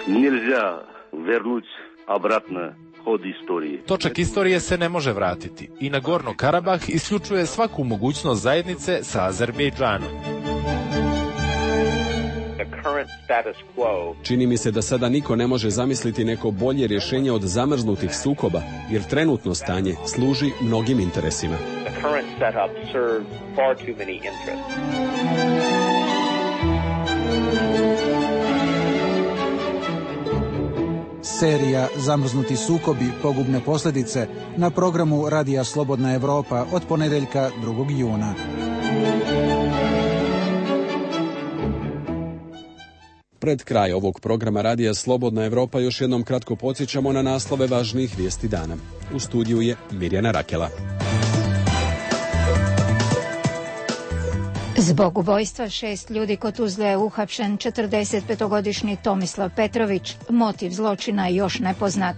[SPEAKER 10] Nельзя вернуть обратно ход истории.
[SPEAKER 11] Točak istorije se ne može vratiti i Nagorno Karabah isključuje svaku mogućnost zajednice sa Azerbejdžanom.
[SPEAKER 1] Čini mi se da sada niko ne može zamisliti neko bolje rješenje od zamrznutih sukoba, jer trenutno stanje služi mnogim interesima.
[SPEAKER 8] Serija Zamrznuti sukobi, pogubne posljedice na programu Radija Slobodna Europa od ponedjeljka 2. juna.
[SPEAKER 1] Pred kraj ovog programa Radija Slobodna Europa još jednom kratko podsjećamo na naslove važnijih vijesti dana. U studiju je Mirjana Rakela.
[SPEAKER 3] Zbog ubojstva 6 ljudi kod Tuzle je uhapšen 45-godišnji Tomislav Petrović. Motiv zločina je još nepoznat.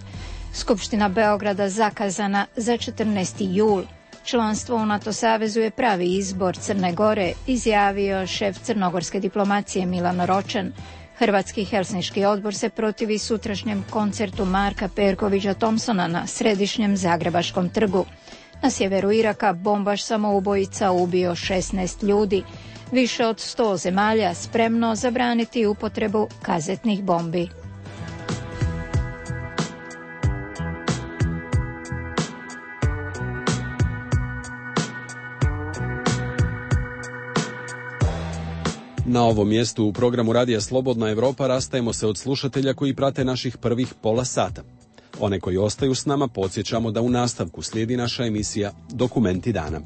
[SPEAKER 3] Skupština Beograda zakazana za 14. jul. Članstvo u NATO savezu je pravi izbor Crne Gore, izjavio šef crnogorske diplomacije Milan Ročan. Hrvatski Helsinški odbor se protivi sutrašnjem koncertu Marka Perkovića Thompsona na središnjem Zagrebačkom trgu. Na sjeveru Iraka bombaš samoubojica ubio 16 ljudi. Više od 100 zemalja spremno zabraniti upotrebu kazetnih bombi.
[SPEAKER 1] Na ovom mjestu u programu Radija Slobodna Europa rastajemo se od slušatelja koji prate naših prvih pola sata. One koji ostaju s nama podsjećamo da u nastavku slijedi naša emisija Dokumenti dana.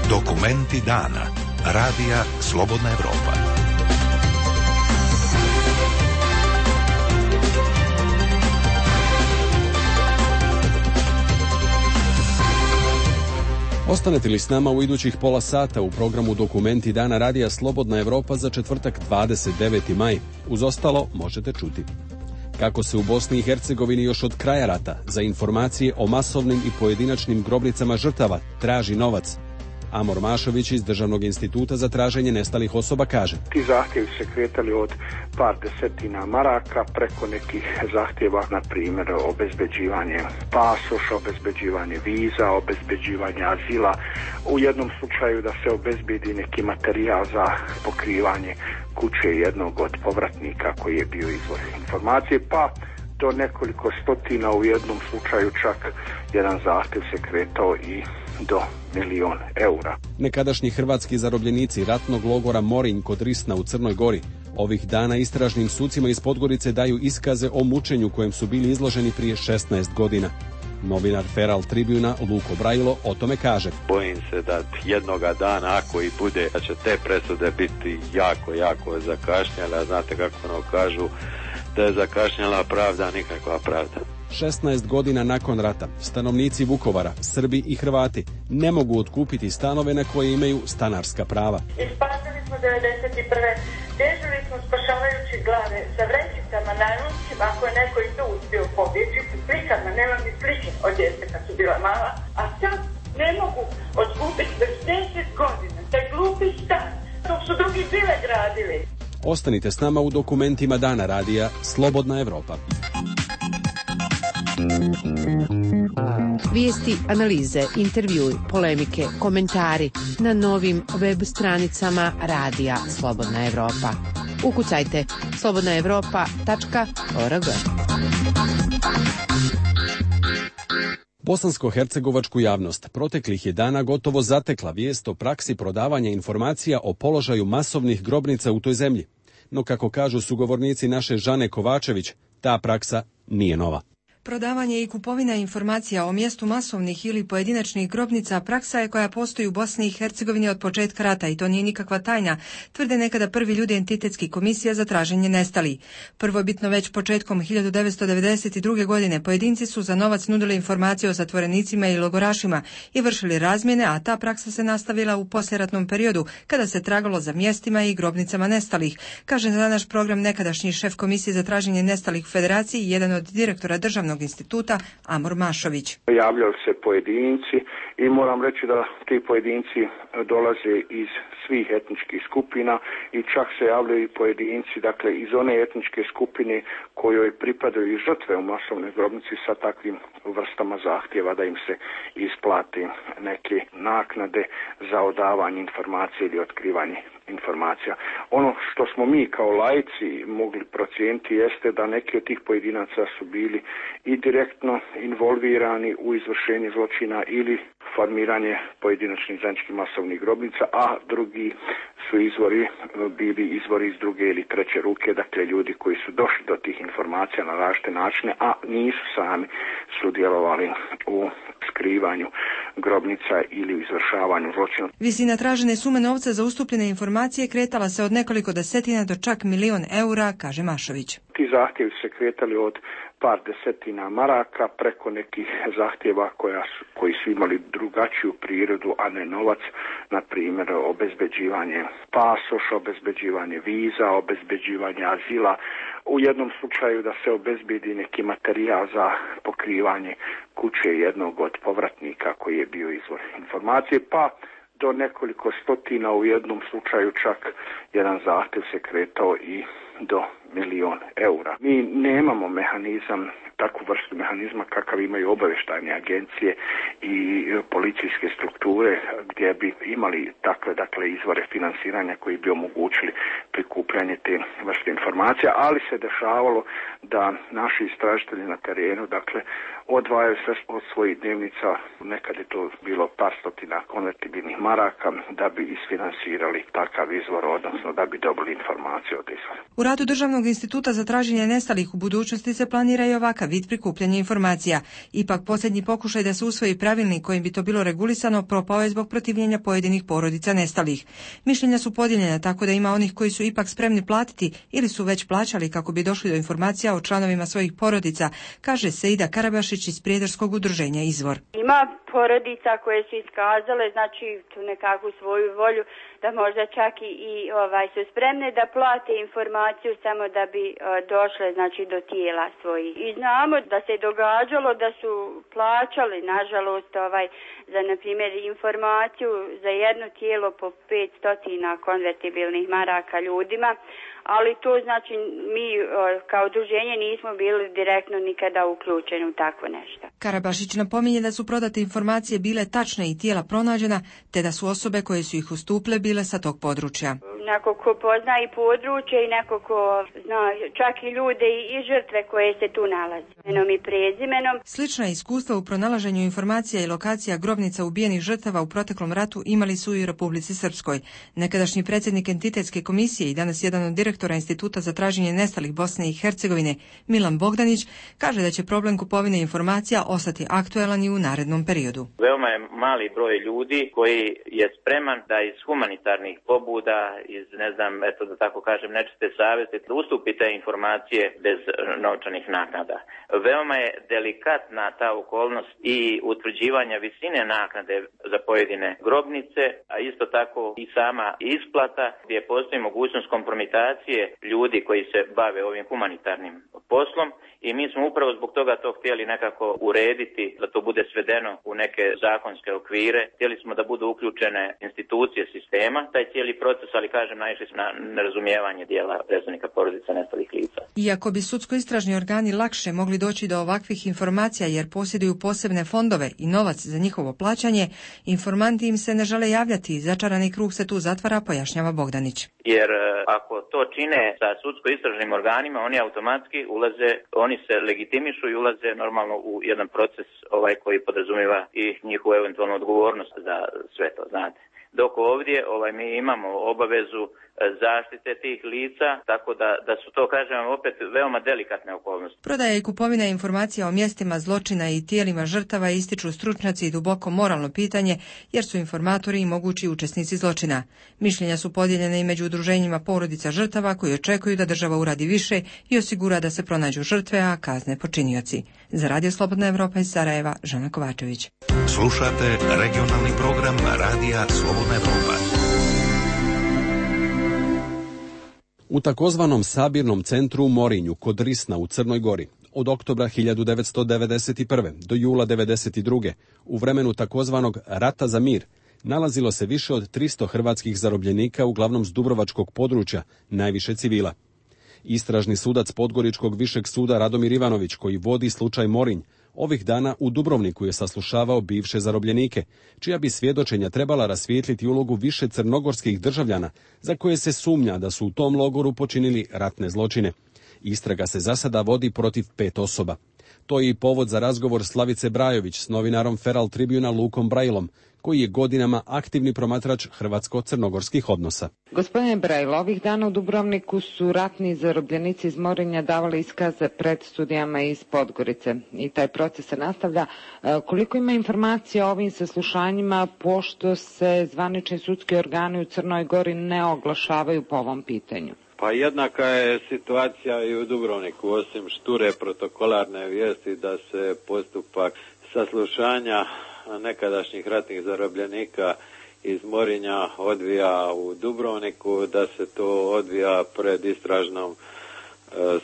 [SPEAKER 21] Dokumenti dana. Radija Slobodna Evropa.
[SPEAKER 1] Ostanete li s nama u idućih pola sata u programu Dokumenti dana Radija Slobodna Evropa za četvrtak 29. maj? Uz ostalo možete čuti kako se u Bosni i Hercegovini još od kraja rata za informacije o masovnim i pojedinačnim grobnicama žrtava traži novac. Amor Mašović iz Državnog instituta za traženje nestalih osoba kaže:
[SPEAKER 12] Ti zahtjevi se kretali od par desetina maraka preko nekih zahtjeva, na primjer obezbeđivanje pasoša, obezbeđivanje viza, obezbeđivanje azila. U jednom slučaju da se obezbedi neki materijal za pokrivanje kuće jednog od povratnika koji je bio izvor informacije, pa do nekoliko stotina, u jednom slučaju čak jedan zahtjev se kretao i do 1.000.000 eura.
[SPEAKER 1] Nekadašnji hrvatski zarobljenici ratnog logora Morinj kod Risna u Crnoj Gori ovih dana istražnim sucima iz Podgorice daju iskaze o mučenju kojem su bili izloženi prije 16 godina. Novinar Feral Tribuna Luko Brajilo o tome kaže:
[SPEAKER 13] Bojim se da jednoga dana, ako i bude, da će te presude biti jako zakašnjele, a znate kako ono kažu, da je zakašnjela pravda, nikakva pravda.
[SPEAKER 1] 16 godina nakon rata, stanovnici Vukovara, Srbi i Hrvati, ne mogu otkupiti stanove na koje imaju stanarska prava.
[SPEAKER 17] Ispasili smo 91. Dežili smo spašavajući glave sa vrećicama, najlončima, ako je neko i to uspio pobjeći, slikama, nema mi slike od djece kad su bila mala, a sad ne mogu otkupiti već 10 godina, taj glupi stan, dok su drugi bile gradili.
[SPEAKER 1] Ostanite s nama u Dokumentima dana Radija Slobodna Evropa.
[SPEAKER 16] Vijesti, analize, intervjui, polemike, komentari na novim web stranicama Radija Slobodna Evropa. Ukucajte slobodnaevropa.org.
[SPEAKER 1] Bosansko-hercegovačku javnost proteklih je dana gotovo zatekla vijest o praksi prodavanja informacija o položaju masovnih grobnica u toj zemlji. No kako kažu sugovornici naše Žane Kovačević, ta praksa nije nova.
[SPEAKER 18] Prodavanje i kupovina informacija o mjestu masovnih ili pojedinačnih grobnica praksa je koja postoji u Bosni i Hercegovini od početka rata i to nije nikakva tajna, tvrde nekada prvi ljudi entitetskih komisija za traženje nestalih. Prvobitno već početkom 1992. godine pojedinci su za novac nudili informacije o zatvorenicima i logorašima i vršili razmjene, a ta praksa se nastavila u poslijeratnom periodu kada se tragalo za mjestima i grobnicama nestalih, kaže za naš program nekadašnji šef komisije za traženje nestalih u Federaciji i jedan od direktora Državnog instituta Amor Mašović.
[SPEAKER 12] Javljali se pojedinci i moram reći da ti pojedinci dolaze iz svih etničkih skupina i čak se javljaju i pojedinci, dakle iz one etničke skupine kojoj pripadaju i žrtve u masovnoj grobnici sa takvim vrstama zahtjeva da im se isplati neke naknade za odavanje informacije ili otkrivanje informacija. Ono što smo mi kao laici mogli procijeniti jeste da neki od tih pojedinaca su bili i direktno involvirani u izvršenje zločina ili formiranje pojedinačnih zajedničkih masovnih grobnica, a drugi su bili izvori iz druge ili treće ruke, dakle ljudi koji su došli do tih informacija na različite načine, a nisu sami sudjelovali u skrivanju grobnica ili u izvršavanju zločina.
[SPEAKER 18] Visina tražene sume novca za ustupljene informacije kretala se od nekoliko desetina do čak 1.000.000 eura, kaže Mašović.
[SPEAKER 12] Ti zahtjevi se kretali od par desetina maraka preko nekih zahtjeva koji su imali drugačiju prirodu, a ne novac, na primjer obezbeđivanje pasoša, obezbeđivanje viza, obezbeđivanje azila. U jednom slučaju da se obezbedi neki materijal za pokrivanje kuće jednog od povratnika koji je bio izvor informacije, pa do nekoliko stotina, u jednom slučaju čak jedan zahtjev se kretao i do 1.000.000 eura. Mi nemamo mehanizam, takvu vrstu mehanizma kakav imaju obavještajne agencije i policijske strukture gdje bi imali takve izvore financiranja koji bi omogućili prikupljanje te vrste informacija, ali se dešavalo da naši istražitelji na terenu odvajaju sve od svojih dnevnica, nekad je to bilo par stotina konvertibilnih maraka, da bi isfinansirali takav izvor, odnosno da bi dobili informacije od izvora.
[SPEAKER 18] U radu Državnog instituta za traženje nestalih u budućnosti se planira i ovakav vid prikupljanja informacija. Ipak posljednji pokušaj da se usvoji pravilnik kojim bi to bilo regulisano propao je zbog protivljenja pojedinih porodica nestalih. Mišljenja su podijeljena tako da ima onih koji su ipak spremni platiti ili su već plaćali kako bi došli do informacija o članovima svojih porodica, kaže Seida Karabašić iz Prijedarskog udruženja Izvor.
[SPEAKER 2] Ima porodica koje su iskazale, znači, tu nekakvu svoju volju da možda čak i su spremne da plate informaciju samo da bi došle, znači, do tijela svojih. I znamo da se događalo da su plaćali, nažalost, za, na primjer, informaciju za jedno tijelo po 500 konvertibilnih maraka ljudima, ali to znači mi kao udruženje nismo bili direktno nikada uključeni u takvo nešto.
[SPEAKER 18] Karabašić napominje da su prodate informacije bile tačne i tijela pronađena, te da su osobe koje su ih ustupile bile sa tog područja.
[SPEAKER 2] Neko ko pozna i područje i neko ko zna čak i ljude i žrtve koje se tu nalaze, imenom i prezimenom.
[SPEAKER 18] Slična iskustva u pronalaženju informacija i lokacija grobnica ubijenih žrtava u proteklom ratu imali su i u Republici Srpskoj. Nekadašnji predsjednik Entitetske komisije i danas jedan od direktora Instituta za traženje nestalih Bosne i Hercegovine, Milan Bogdanić, kaže da će problem kupovine informacija ostati aktuelan i u narednom periodu.
[SPEAKER 14] Veoma je mali broj ljudi koji je spreman da iz humanitarnih pobuda, iz, da tako kažem, nečiste savjesti, da ustupi te informacije bez novčanih naknada. Veoma je delikatna ta okolnost i utvrđivanja visine naknade za pojedine grobnice, a isto tako i sama isplata gdje postoji mogućnost kompromitacije ljudi koji se bave ovim humanitarnim poslom i mi smo upravo zbog toga to htjeli nekako urediti, da to bude svedeno u neke zakonske okvire. Htjeli smo da budu uključene institucije sistema, taj cijeli proces, ali kažem, naišli smo na nerazumijevanje dijela predstavnika porodica nestalih lica.
[SPEAKER 18] Iako bi sudsko-istražni organi lakše mogli doći do ovakvih informacija jer posjeduju posebne fondove i novac za njihovo plaćanje, informanti im se ne žele javljati i začarani krug se tu zatvara, pojašnjava Bogdanić.
[SPEAKER 14] Jer ako to čine sa sudsko-istražnim organima, oni automatski ulaze, oni se legitimišu i ulaze normalno u jedan proces koji podrazumijeva i njihovu eventualnu odgovornost za sve to, znate. Dok ovdje mi imamo obavezu zaštite tih lica, tako da su to, kažem, opet veoma delikatne okolnosti.
[SPEAKER 18] Prodaja i kupovina informacija o mjestima zločina i tijelima žrtava ističu stručnjaci i duboko moralno pitanje, jer su informatori i mogući učesnici zločina. Mišljenja su podijeljene i među udruženjima porodica žrtava koji očekuju da država uradi više i osigura da se pronađu žrtve, a kazne počinioci. Za Radio Slobodna Evropa iz Sarajeva, Žana Kovačević.
[SPEAKER 21] Slušate regionalni program Radija Slobodna Evropa.
[SPEAKER 1] U takozvanom sabirnom centru u Morinju kod Risna u Crnoj Gori od oktobra 1991. do jula 1992. u vremenu takozvanog Rata za mir nalazilo se više od 300 hrvatskih zarobljenika uglavnom s dubrovačkog područja, najviše civila. Istražni sudac Podgoričkog višeg suda Radomir Ivanović, koji vodi slučaj Morinj, ovih dana u Dubrovniku je saslušavao bivše zarobljenike, čija bi svjedočenja trebala rasvijetliti ulogu više crnogorskih državljana za koje se sumnja da su u tom logoru počinili ratne zločine. Istraga se za sada vodi protiv 5 osoba. To je i povod za razgovor Slavice Brajović s novinarom Feral Tribuna Lukom Brajlom, koji je godinama aktivni promatrač hrvatsko-crnogorskih odnosa.
[SPEAKER 19] Gospodine Brajl, ovih dana u Dubrovniku su ratni zarobljenici iz Morinja davali iskaze pred studijama iz Podgorice i taj proces se nastavlja. Koliko ima informacija o ovim saslušanjima, pošto se zvanični sudski organi u Crnoj Gori ne oglašavaju po ovom pitanju?
[SPEAKER 13] Pa jednaka je situacija i u Dubrovniku, osim šture protokolarne vijesti da se postupak saslušanja nekadašnjih ratnih zarobljenika iz Morinja odvija u Dubrovniku, da se to odvija pred istražnom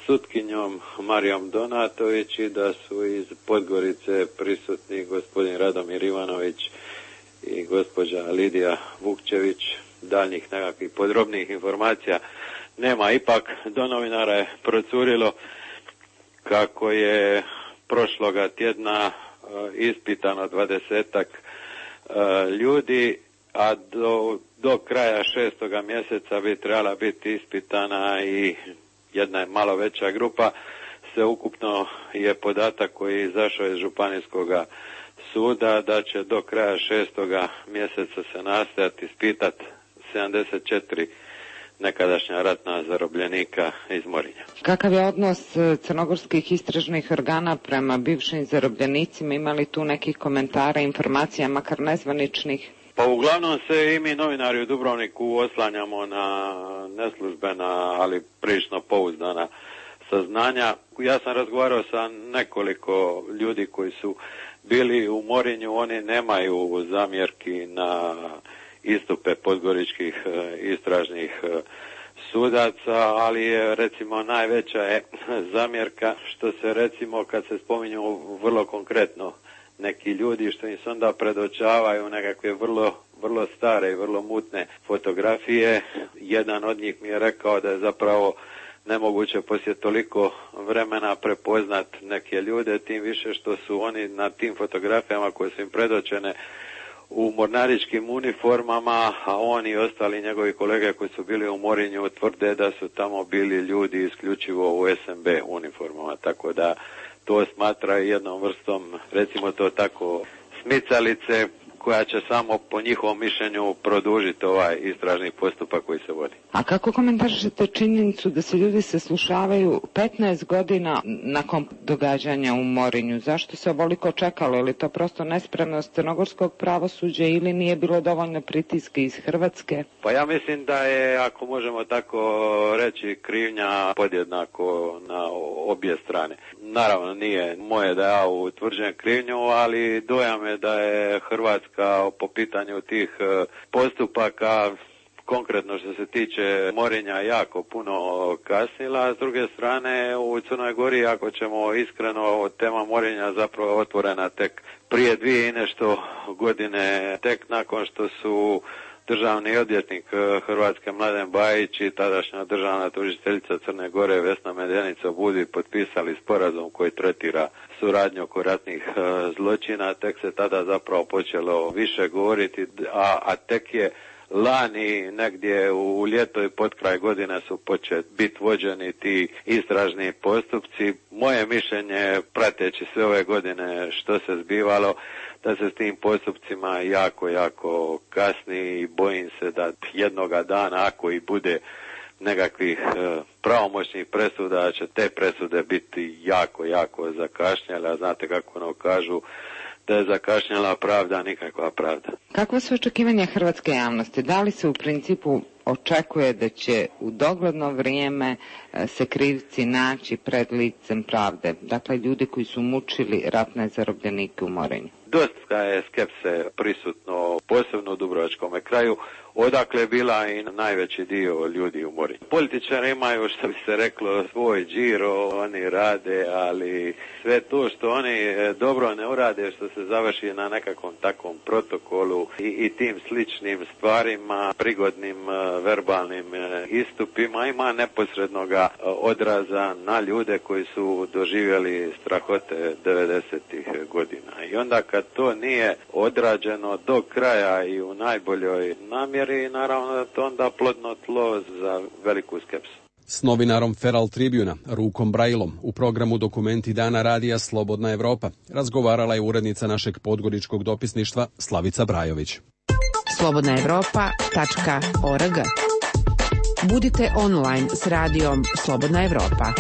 [SPEAKER 13] sutkinjom Marijom Donatović i da su iz Podgorice prisutni gospodin Radomir Ivanović i gospođa Lidija Vukčević. Daljnjih nekakvih podrobnih informacija nema. Ipak do novinara je procurilo kako je prošloga tjedna ispitano 20-ak ljudi, a do kraja 6. mjeseca bi trebala biti ispitana i jedna malo veća grupa. Sveukupno je podatak koji je izašao iz Županijskog suda da će do kraja 6. mjeseca se nastojati ispitati 74 nekadašnja ratna zarobljenika iz Morinja.
[SPEAKER 19] Kakav je odnos crnogorskih istražnih organa prema bivšim zarobljenicima? Imali tu nekih komentara, informacija, makar nezvaničnih?
[SPEAKER 13] Pa uglavnom se i mi novinari u Dubrovniku oslanjamo na neslužbena, ali prilično pouzdana saznanja. Ja sam razgovarao sa nekoliko ljudi koji su bili u Morinju, oni nemaju zamjerki na istupe podgoričkih istražnih sudaca, ali je recimo najveća je zamjerka što se recimo kad se spominju vrlo konkretno neki ljudi što im se onda predočavaju nekakve vrlo stare i vrlo mutne fotografije. Jedan od njih mi je rekao da je zapravo nemoguće poslije toliko vremena prepoznat neke ljude, tim više što su oni na tim fotografijama koje su im predočene u mornaričkim uniformama, a oni i ostali njegovi kolege koji su bili u Morinju tvrde da su tamo bili ljudi isključivo u SNB uniformama, tako da to smatra jednom vrstom, recimo to tako, smicalice koja će samo po njihovom mišljenju produžiti ovaj istražni postupak koji se vodi.
[SPEAKER 19] A kako komentarišete činjenicu da se ljudi saslušavaju 15 godina nakon događanja u Morinju? Zašto se ovoliko čekalo? Ili to prosto nespremnost crnogorskog pravosuđa ili nije bilo dovoljno pritiska iz Hrvatske?
[SPEAKER 13] Pa ja mislim da je, ako možemo tako reći, krivnja podjednako na obje strane. Naravno nije moje da ja utvrđujem krivnju, ali dojam je da je Hrvatska po pitanju tih postupaka, konkretno što se tiče Morinja, jako puno kasnila. S druge strane, u Crnoj Gori, ako ćemo iskreno, tema Morinja zapravo otvorena tek prije 2 i nešto godine, tek nakon što su državni odvjetnik Hrvatske Mladen Bajić i tadašnja državna tužiteljica Crne Gore Vesna Medjanica Budi potpisali sporazum koji tretira suradnju oko ratnih zločina. Tek se tada zapravo počelo više govoriti, a tek je lani negdje u ljeto i pod kraj godine su početi biti vođeni ti istražni postupci. Moje mišljenje, prateći sve ove godine što se zbivalo, da se s tim postupcima jako kasni i bojim se da jednoga dana, ako i bude nekakvih pravomoćnih presuda, će te presude biti jako zakašnjele, a znate kako ono kažu, da je zakašnjela pravda, nikakva pravda.
[SPEAKER 19] Kakva su očekivanja hrvatske javnosti? Da li se u principu očekuje da će u dogledno vrijeme se krivci naći pred licem pravde? Dakle, ljudi koji su mučili ratne zarobljenike u Morinju.
[SPEAKER 13] Dosta je skepse prisutno, posebno u Dubrovačkom kraju, odakle je bila i najveći dio ljudi u Morinju. Političari imaju, što bi se reklo, svoj điro, oni rade, ali sve to što oni dobro ne urade, što se završi na nekakvom takvom protokolu i tim sličnim stvarima, prigodnim verbalnim istupima, ima neposrednoga odraza na ljude koji su doživjeli strahote 90-ih godina. I onda kad to nije odrađeno do kraja i u najboljoj namjeri, naravno da to onda plodno tlo za veliku skepsu.
[SPEAKER 1] S novinarom Feral Tribuna, Rukom Brajlom, u programu Dokumenti dana radija Slobodna Evropa razgovarala je urednica našeg podgoričkog dopisništva Slavica Brajović.
[SPEAKER 16] slobodnaevropa.org. Budite online s radijom Slobodna Evropa.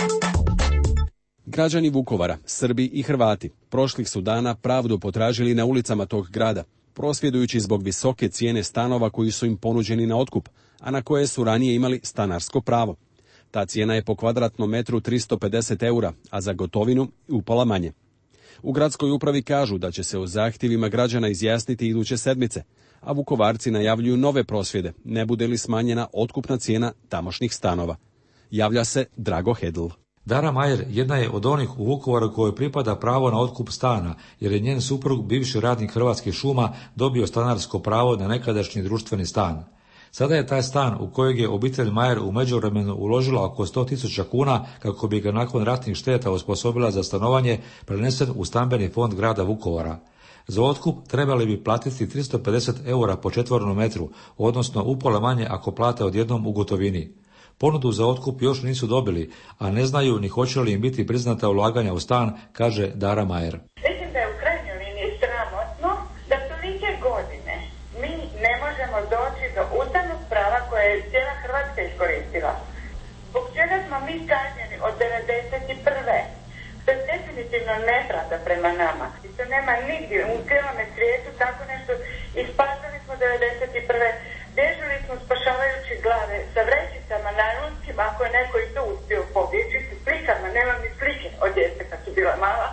[SPEAKER 1] Građani Vukovara, Srbi i Hrvati, prošlih su dana pravdu potražili na ulicama tog grada, prosvjedujući zbog visoke cijene stanova koji su im ponuđeni na otkup, a na koje su ranije imali stanarsko pravo. Ta cijena je po kvadratnom metru 350 eura, a za gotovinu upola manje. U gradskoj upravi kažu da će se o zahtjevima građana izjasniti iduće sedmice, a Vukovarci najavljuju nove prosvjede, ne bude li smanjena otkupna cijena tamošnjih stanova. Javlja se Drago Hedl.
[SPEAKER 6] Dara Majer jedna je od onih u Vukovaru kojoj pripada pravo na otkup stana, jer je njen suprug, bivši radnik Hrvatskih šuma, dobio stanarsko pravo na nekadašnji društveni stan. Sada je taj stan u kojeg je obitelj Majer u međuvremenu uložila oko 100.000 kuna kako bi ga nakon ratnih šteta osposobila za stanovanje, prenesen u stambeni fond grada Vukovara. Za otkup trebali bi platiti 350 eura po četvornom metru, odnosno upola manje ako plate odjednom u gotovini. Ponudu za otkup još nisu dobili, a ne znaju ni hoće li im biti priznata ulaganja u stan, kaže Dara Majer.
[SPEAKER 17] Mislim da je u krajnjoj liniji sramotno da tolike godine mi ne možemo doći do ustavnog prava koje je cijela Hrvatska iskoristila. od 91. To je definitivno nepravda prema nama. I to nema nigdje u cijelome svijetu tako nešto. Ispasali smo 91. Dežili smo spašavajući glave sa vrećicama najlonskim, ako je neko i to uspio pobjeći, s slikama, nemam ni slike od djece kad su bila mala,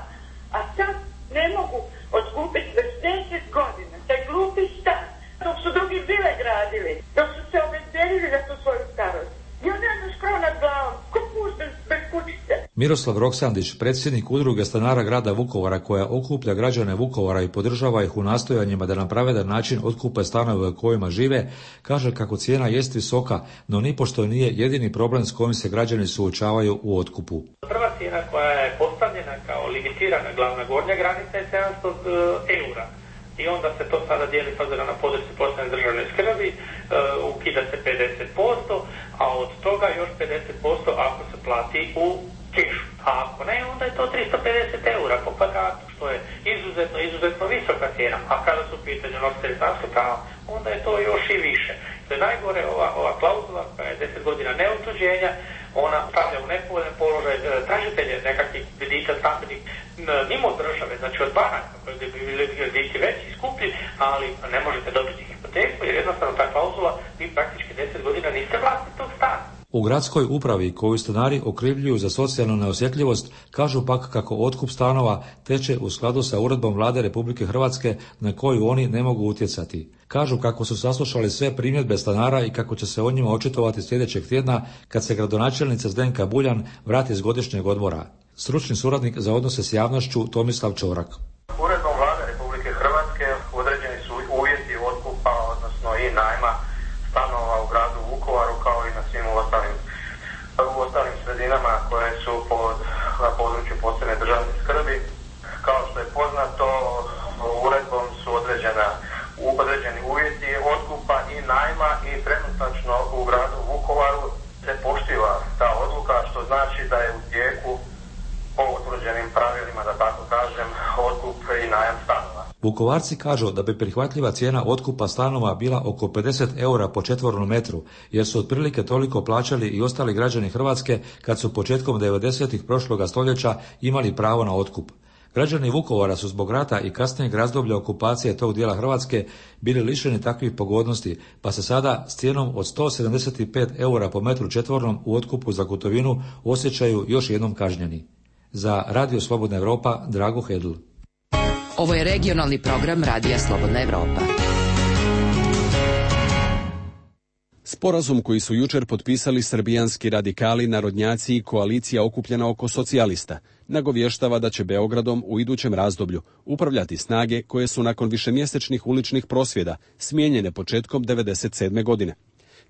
[SPEAKER 17] a sad ne mogu otkupiti već 10 godina taj glupi stan, dok su drugi vile gradili, dok su se obezbedili za tu svoju starost. I onda je škrov nad glavom, ko puš bez kućice.
[SPEAKER 6] Miroslav Roksandić, predsjednik udruge stanara grada Vukovara koja okuplja građane Vukovara i podržava ih u nastojanjima da na pravedan način otkupe stanove u kojima žive, kaže kako cijena jest visoka, no nipošto nije jedini problem s kojim se građani suočavaju u otkupu.
[SPEAKER 20] Prva cijena koja je postavljena kao limitirana glavna gornja granica je 700 eura. I onda se to sada dijeli s obzirom na područje posebne državne skrbi, ukida se 50%, a od toga još 50% ako se plati u kešu. A ako ne, onda je to 350 eura po kvadratu, što je izuzetno visoka cijena. A kada su u pitanju nositelji stanskog prava, onda je to još i više. To je najgore ova klauzula koja je 10 godina neotuđenja, ona stavlja u nepovoljan položaj tražitelje nekakvih kredita stambenih mimo države, znači od banaka koji bi bili krediti veći i skuplji, ali ne možete dobiti hipoteku jer jednostavno ta klauzula vi praktički 10 godina niste vlasnik tog stana.
[SPEAKER 6] U gradskoj upravi koju stanari okrivljuju za socijalnu neosjetljivost kažu pak kako otkup stanova teče u skladu sa uredbom Vlade Republike Hrvatske na koju oni ne mogu utjecati. Kažu kako su saslušali sve primjedbe stanara i kako će se o njima očitovati sljedećeg tjedna kad se gradonačelnica Zdenka Buljan vrati s godišnjeg odmora. Stručni suradnik za odnose s javnošću Tomislav Čorak.
[SPEAKER 20] Uredbom Vlade Republike Hrvatske određeni su uvjeti otkupa, odnosno i najma stanova u gradu Vukovaru kao i na svim ostalim sredinama koje su na području posebne državne skrbi. Kao što je poznato, uredbom su određeni uvjeti otkupa i najma i trenutačno u gradu Vukovaru se poštiva ta odluka, što znači da je u tijeku po utvrđenim pravilima, da tako kažem, otkup i najam stanova.
[SPEAKER 6] Vukovarci kažu da bi prihvatljiva cijena otkupa stanova bila oko 50 eura po četvornom metru, jer su otprilike toliko plaćali i ostali građani Hrvatske kad su početkom 90-ih prošloga stoljeća imali pravo na otkup. Građani Vukovara su zbog rata i kasnijeg razdoblja okupacije tog dijela Hrvatske bili lišeni takvih pogodnosti, pa se sada s cijenom od 175 eura po metru četvornom u otkupu za gotovinu osjećaju još jednom kažnjeni. Za Radio Slobodna Evropa, Drago Hedl.
[SPEAKER 22] Ovo je regionalni program Radija Slobodna Evropa.
[SPEAKER 1] Sporazum koji su jučer potpisali srbijanski radikali, narodnjaci i koalicija okupljena oko socijalista nagovještava da će Beogradom u idućem razdoblju upravljati snage koje su nakon višemjesečnih uličnih prosvjeda smijenjene početkom 1997. godine.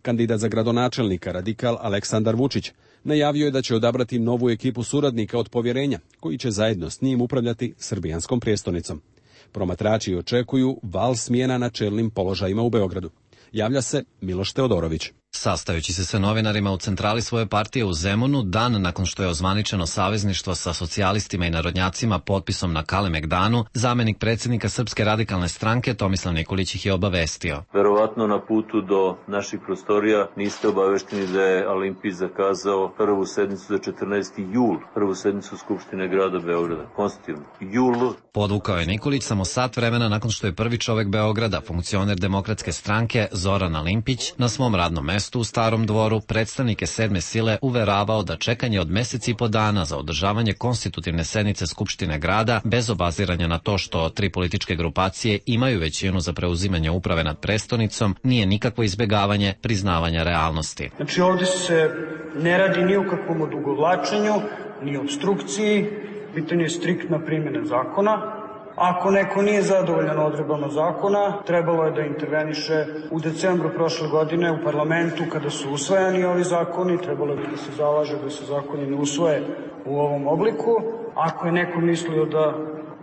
[SPEAKER 1] Kandidat za gradonačelnika, radikal Aleksandar Vučić, najavio je da će odabrati novu ekipu suradnika od povjerenja, koji će zajedno s njim upravljati srbijanskom prijestolnicom. Promatrači očekuju val smjena na čelnim položajima u Beogradu. Javlja se Miloš Teodorović.
[SPEAKER 23] Sastajući se sa novinarima u centrali svoje partije u Zemunu, dan nakon što je ozvaničeno savezništvo sa socijalistima i narodnjacima potpisom na Kalemegdanu, zamenik predsjednika Srpske radikalne stranke Tomislav Nikolić ih je obavestio.
[SPEAKER 24] Verovatno na putu do naših prostorija niste obavešteni da je Olimpij zakazao prvu sednicu za 14. jul, prvu sednicu Skupštine grada Beograda. Konstitutivno. Jul.
[SPEAKER 23] Podvukao je Nikolić samo sat vremena nakon što je prvi čovek Beograda, funkcioner Demokratske stranke Zoran Olimpić, na svom radnom mestu u Starom dvoru predstavnike sedme sile uveravao da čekanje od meseci i po dana za održavanje konstitutivne sednice Skupštine grada, bez obaziranja na to što tri političke grupacije imaju većinu za preuzimanje uprave nad prestonicom, nije nikakvo izbjegavanje priznavanja realnosti.
[SPEAKER 25] Znači ovdje se ne radi ni o kakvom odugovlačenju, ni obstrukciji, pitanje je striktna primjena zakona. Ako neko nije zadovoljan odredbama zakona, trebalo je da interveniše u decembru prošle godine u parlamentu kada su usvajani ovi zakoni, trebalo je da se zalaže da se zakoni ne usvoje u ovom obliku. Ako je neko mislio da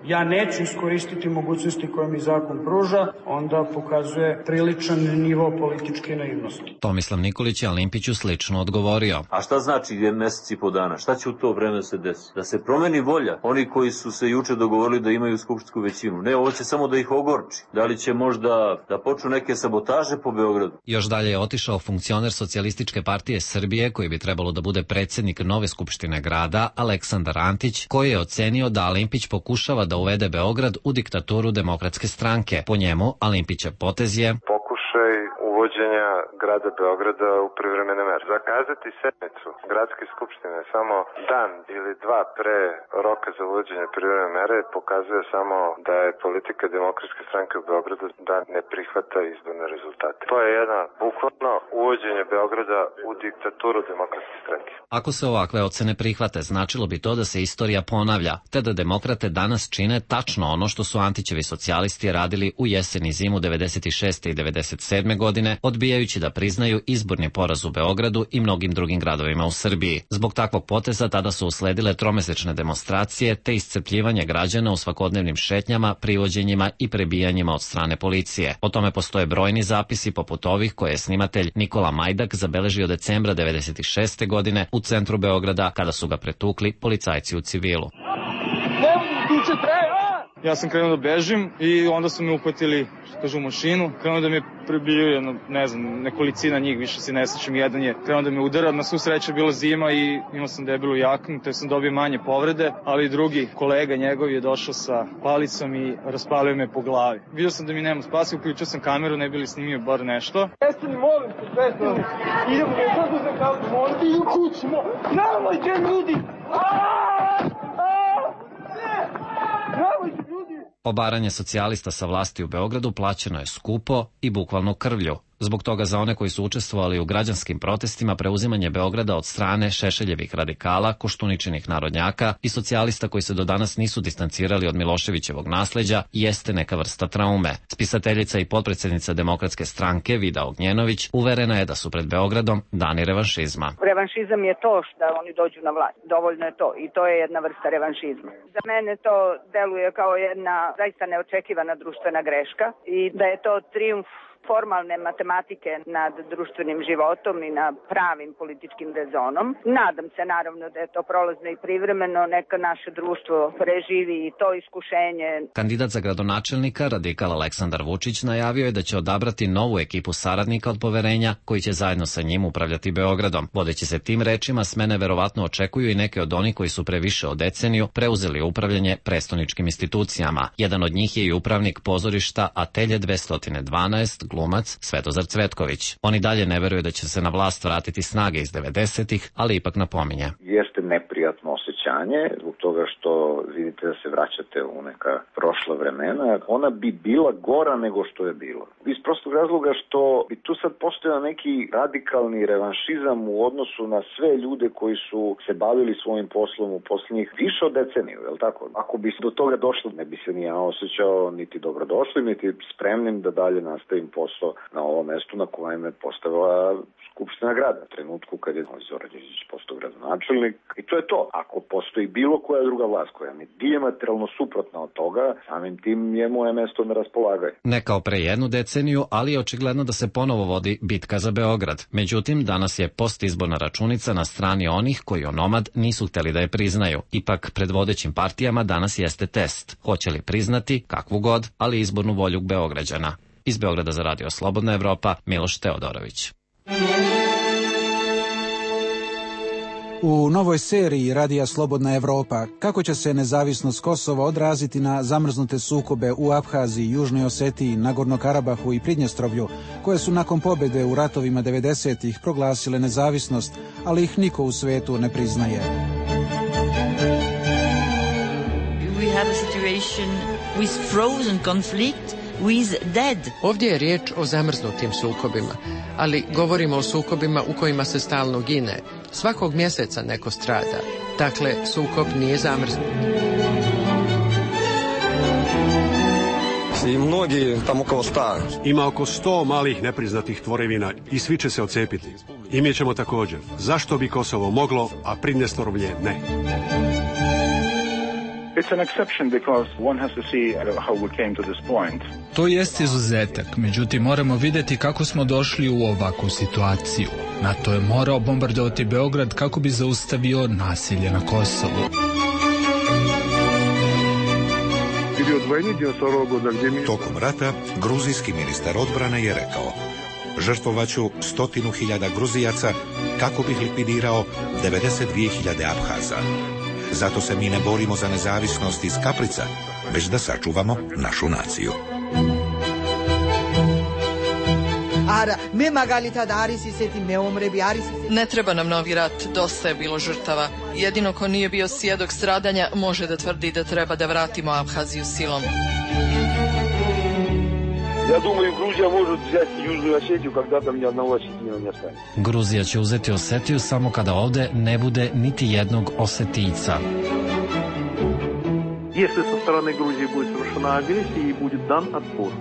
[SPEAKER 25] ja neću iskoristiti mogućnosti koje mi zakon pruža, onda pokazuje priličan nivo političke naivnosti.
[SPEAKER 23] Tomislav Nikolić je Alimpiću slično odgovorio.
[SPEAKER 24] A šta znači mjesec i po dana? Šta će u to vreme se desiti? Da se promeni volja? Oni koji su se juče dogovorili da imaju skupštinsku većinu. Ne, ovo će samo da ih ogorči. Da li će možda da počnu neke sabotaže po Beogradu?
[SPEAKER 23] Još dalje je otišao funkcioner Socijalističke partije Srbije, koji bi trebalo da bude predsjednik nove skupštine grada, Aleksandar Antić, koji je ocenio da Alimpić pokušava da uvede Beograd u diktaturu Demokratske stranke. Po njemu, Alimpićev potez je
[SPEAKER 4] pokušaj uvođenja grada Beograda u privremene mere. Zakazati sednicu gradske skupštine samo dan ili dva pre roka za uvođenje privremene mere pokazuje samo da je politika Demokratske stranke u Beogradu da ne prihvata izborne rezultate. To je jedna bukvalno uvođenje Beograda u diktaturu Demokratske stranke.
[SPEAKER 23] Ako se ovakve ocene prihvate, značilo bi to da se istorija ponavlja, te da demokrate danas čine tačno ono što su Antićevi socijalisti radili u jesen i zimu 96. i 97. godine, odbijajući da priznaju izborni poraz u Beogradu i mnogim drugim gradovima u Srbiji. Zbog takvog poteza tada su usledile tromesečne demonstracije te iscrpljivanje građana u svakodnevnim šetnjama, privođenjima i prebijanjima od strane policije. O tome postoje brojni zapisi poput ovih koje je snimatelj Nikola Majdak zabeležio decembra 96. godine u centru Beograda kada su ga pretukli policajci u civilu.
[SPEAKER 5] Ja sam krenuo da bežim i onda su me uhvatili, što kažu, u mašinu. Krenuo da me prebiju, nekolicina njih, više se ne sjećam, jedan je krenuo da me udara. Na svu sreću bila zima i imao sam debelu jaknu, te sam dobio manje povrede, ali drugi kolega njegov je došao sa palicom i raspalio me po glavi. Vidio sam da mi nema spasa, uključio sam kameru, ne bi li snimio bar nešto. Prestani, molim se, prestani. Idemo, kako se kao, molim ti u kući, nemojte ljudi!
[SPEAKER 23] Obaranje socijalista sa vlasti u Beogradu plaćeno je skupo i bukvalno krvlju. Zbog toga za one koji su učestvovali u građanskim protestima preuzimanje Beograda od strane Šešeljevih radikala, Koštuničinih narodnjaka i socijalista koji se do danas nisu distancirali od Miloševićevog nasleđa jeste neka vrsta traume. Spisateljica i potpredsjednica Demokratske stranke Vida Ognjenović uverena je da su pred Beogradom dani revanšizma.
[SPEAKER 7] Revanšizam je to što oni dođu na vlast. Dovoljno je to i to je jedna vrsta revanšizma. Za mene to deluje kao jedna zaista neočekivana društvena greška i da je to trijumf formalne matematike nad društvenim životom i na pravim političkim rezonom. Nadam se naravno da je to prolazno i privremeno, neka naše društvo preživi i to iskušenje.
[SPEAKER 23] Kandidat za gradonačelnika, radikal Aleksandar Vučić, najavio je da će odabrati novu ekipu saradnika od poverenja koji će zajedno sa njim upravljati Beogradom. Vodeći se tim rečima, smene verovatno očekuju i neke od onih koji su pre više od deceniju preuzeli upravljanje prestoničkim institucijama. Jedan od njih je i upravnik pozorišta Atelje 212, glumac Svetozar Cvetković. On i dalje ne veruje da će se na vlast vratiti snage iz 90-ih, ali ipak napominje.
[SPEAKER 9] Jeste neprijatno osjećanje zbog toga što vidite da se vraćate u neka prošla vremena. Ona bi bila gora nego što je bilo. Iz prostog razloga što bi tu sad postojao neki radikalni revanšizam u odnosu na sve ljude koji su se bavili svojim poslom u posljednjih više od deceniju, je li tako? Ako bi do toga došlo, ne bi se ni ja osjećao niti dobrodošlim, niti spremnim da dalje nastavim posao na ovom mestu na kojem je postavila Skupština grada. U trenutku kad je Zoran Đinđić postao gradonačelnik. I to je to. Ako postoji bilo koja druga vlast koja je dijametralno suprotna od toga, samim tim je moje mesto na raspolaganju.
[SPEAKER 23] Ne kao pre jednu deceniju, ali je očigledno da se ponovo vodi bitka za Beograd. Međutim, danas je postizborna računica na strani onih koji onomad nisu hteli da je priznaju. Ipak, pred vodećim partijama danas jeste test. Hoće li priznati, kakvu god, ali izbornu volju Beograđana. Iz Beograda za Radio Slobodna Evropa, Miloš Teodorović.
[SPEAKER 8] U novoj seriji Radija Slobodna Evropa kako će se nezavisnost Kosova odraziti na zamrznute sukobe u Abhaziji, Južnoj Osetiji, Nagorno Karabahu i Pridnjestrovlju, koje su nakon pobjede u ratovima 90-ih proglasile nezavisnost, ali ih niko u svetu ne priznaje.
[SPEAKER 15] We have a situation with frozen conflict with dead.
[SPEAKER 26] Ovdje je riječ o zamrznutim sukobima, ali govorimo o sukobima u kojima se stalno gine. Svakog mjeseca neko strada. Dakle, sukob nije zamrznut.
[SPEAKER 27] I mnogi, tamo oko 100.
[SPEAKER 28] Ima oko 100 malih nepriznatih tvorevina i svi će se odcepiti. I mi ćemo također. Zašto bi Kosovo moglo, a Pridnjestrovlje ne?
[SPEAKER 2] To jest izuzetak, međutim moramo vidjeti kako smo došli u ovakvu situaciju. NATO je morao bombardovati Beograd kako bi zaustavio nasilje na Kosovu.
[SPEAKER 3] Tokom rata, gruzijski ministar odbrane je rekao: žrtvovaću 100.000 Gruzijaca kako bih likvidirao 92.000 Abhaza. Zato se mi ne borimo za nezavisnost iz kaprica, već da sačuvamo našu naciju.
[SPEAKER 26] Ne treba nam novi rat, dosta je bilo žrtava. Jedino ko nije bio svjedok stradanja može da tvrdi da treba da vratimo Abhaziju silom.
[SPEAKER 23] Gruzija će uzeti Osetiju samo kada ovde ne bude niti jednog Osetijca.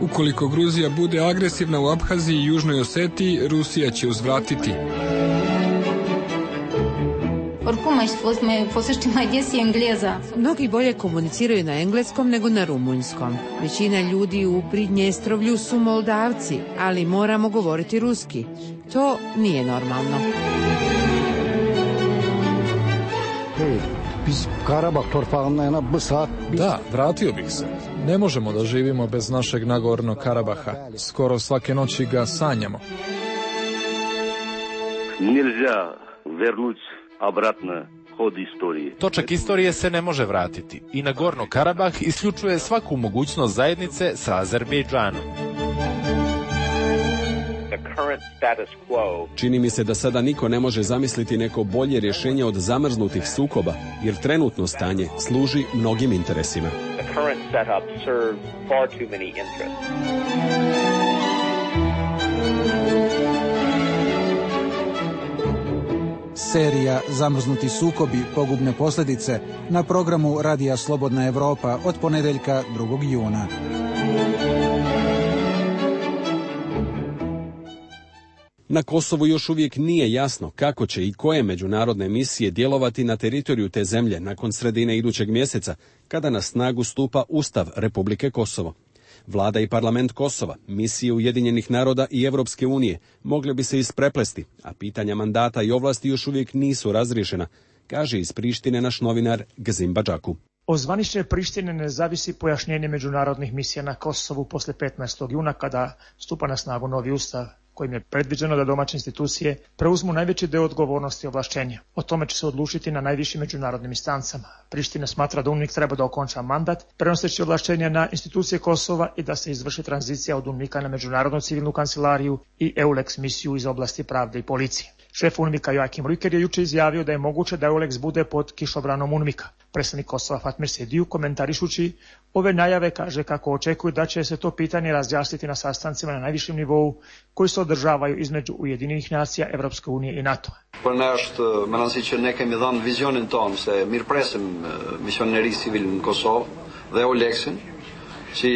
[SPEAKER 10] Ukoliko Gruzija bude agresivna u Abhaziji i Južnoj Osetiji, Rusija će uzvratiti.
[SPEAKER 16] Mnogi bolje komuniciraju na engleskom nego na rumunjskom. Većina ljudi u Pridnjestrovlju su Moldavci, ali moramo govoriti ruski. To nije normalno.
[SPEAKER 11] Da, vratio bih se. Ne možemo da živimo bez našeg Nagornog Karabaha. Skoro svake noći ga sanjamo.
[SPEAKER 12] Nельзя вернуть обратно ход истории.
[SPEAKER 14] Točak istorije se ne može vratiti i Nagorno Karabah isključuje svaku mogućnost zajednice sa Azerbejdžanom.
[SPEAKER 1] Čini mi se da sada niko ne može zamisliti neko bolje rješenje od zamrznutih sukoba, jer trenutno stanje služi mnogim interesima.
[SPEAKER 8] Serija Zamrznuti sukobi, pogubne posljedice na programu Radija Slobodna Evropa od ponedjeljka 2. juna.
[SPEAKER 1] Na Kosovu još uvijek nije jasno kako će i koje međunarodne misije djelovati na teritoriju te zemlje nakon sredine idućeg mjeseca, kada na snagu stupa Ustav Republike Kosovo. Vlada i parlament Kosova, misije Ujedinjenih naroda i Europske unije mogle bi se ispreplesti, a pitanja mandata i ovlasti još uvijek nisu razriješena, kaže iz Prištine naš novinar Gzim Badžaku.
[SPEAKER 18] Od zvanične Prištine ne zavisi pojašnjenje međunarodnih misija na Kosovu posle 15. juna kada stupa na snagu novi ustav, kojim je predviđeno da domaće institucije preuzmu najveći deo odgovornosti i ovlašćenja. O tome će se odlučiti na najvišim međunarodnim instancama. Priština smatra da UNMIK treba da okonča mandat, prenoseći ovlašćenja na institucije Kosova i da se izvrši tranzicija od UNMIK-a na Međunarodnu civilnu kancelariju i EULEX misiju iz oblasti pravde i policije. Šef UNMIK-a Joakim Rüker je juče izjavio da je moguće da EULEX bude pod kišobranom UNMIK-a. Predstavnik Kosova Fatmir Sediju, komentarišući ove najave, kaže kako očekuju da će se to pitanje razjasniti na sastancima na najvišem nivou koji se održavaju između Ujedinjenih nacija, Evropske unije i NATO-a.
[SPEAKER 27] Për ne është, më nësi që ne kemi dhënë vizionin tonë se mirëpresim misioneri civil në Kosovë dhe EULEX-in, si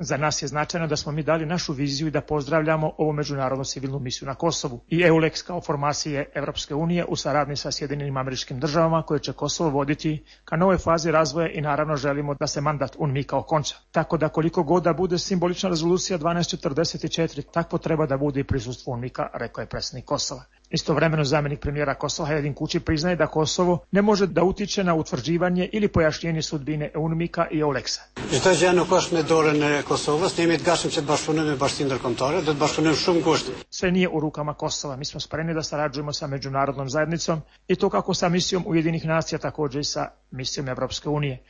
[SPEAKER 18] Za nas je značajno da smo mi dali našu viziju i da pozdravljamo ovu međunarodnu civilnu misiju na Kosovu i EULEX kao formacije Evropske unije u saradnji sa Sjedinjenim Američkim Državama koje će Kosovo voditi ka novoj fazi razvoja i naravno želimo da se mandat UNMIK-a okonča. Tako da koliko god da bude simbolična rezolucija 1244, tako treba da bude i prisustvo UNMIK-a, rekao je predsjednik Kosova. Istovremeno zamjenik premijera Kosova Hajdin Kuči priznaje da Kosovo ne može da utiče na utvrđivanje ili pojašnjenje sudbine UNMIK-a i EULEX-a.
[SPEAKER 21] Çdo gjë nuk është në dorën e Kosovës, ne jemi të gatshëm që të bashkëpunojmë me bashkinë ndërkombëtare, do të bashkëpunojmë shumë ngushtë.
[SPEAKER 18] Sve nije u rukama Kosova, mi smo spremni da sarađujemo sa međunarodnom zajednicom i to kako sa misijom Ujedinjenih nacija, također i sa misijom Evropske unije.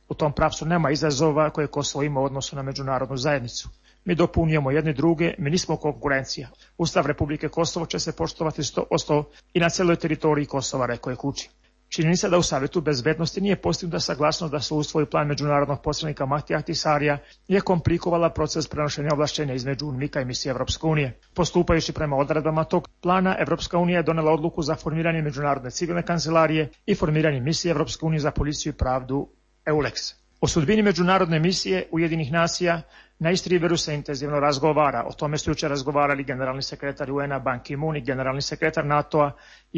[SPEAKER 18] U tom pravcu nema izazova koje Kosovo ima u odnosu na međunarodnu zajednicu. Mi dopunjujemo jedni druge, mi nismo konkurencija. Ustav Republike Kosovo će se poštovati 100% i na celoj teritoriji Kosova, rekao je Kuči. Činjenica da u Savjetu bezbednosti nije postignuta saglasnost da se usvoji plan međunarodnog posrednika Mahtija Ahtisarija je komplikovala proces prenošenja ovlašćenja između UNMIK-a i misije Evropske unije. Postupajući prema odredbama tog plana, Evropska unija je donela odluku za formiranje Međunarodne civilne kancelarije i formiranje misije Evropske unije za policiju i pravdu EULEX. O sudbini međunarodne misije Ujedinjenih nacija na East Riveru se intenzivno razgovara. O tome su jučer razgovarali generalni sekretar UN-a Ban Ki-moon i generalni sekretar NATO-a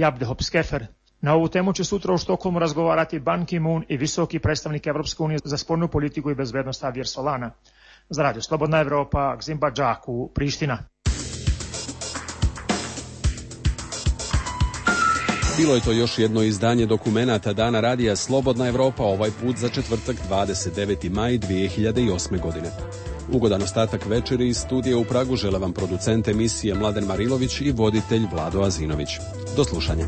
[SPEAKER 18] Abdehop Skefer. Na ovu temu će sutra u Štokholmu razgovarati Ban Ki-moon i visoki predstavnik Evropske unije za spoljnu politiku i bezbednost Javier Solana. Za Radio Slobodna Evropa, Gzimba Džaku, Priština.
[SPEAKER 1] Bilo je to još jedno izdanje dokumenata Dana radija Slobodna Evropa, ovaj put za četvrtak 29. maj 2008. godine. Ugodan ostatak večeri iz studija u Pragu žele vam producent emisije Mladen Marilović i voditelj Vlado Azinović. Do slušanja.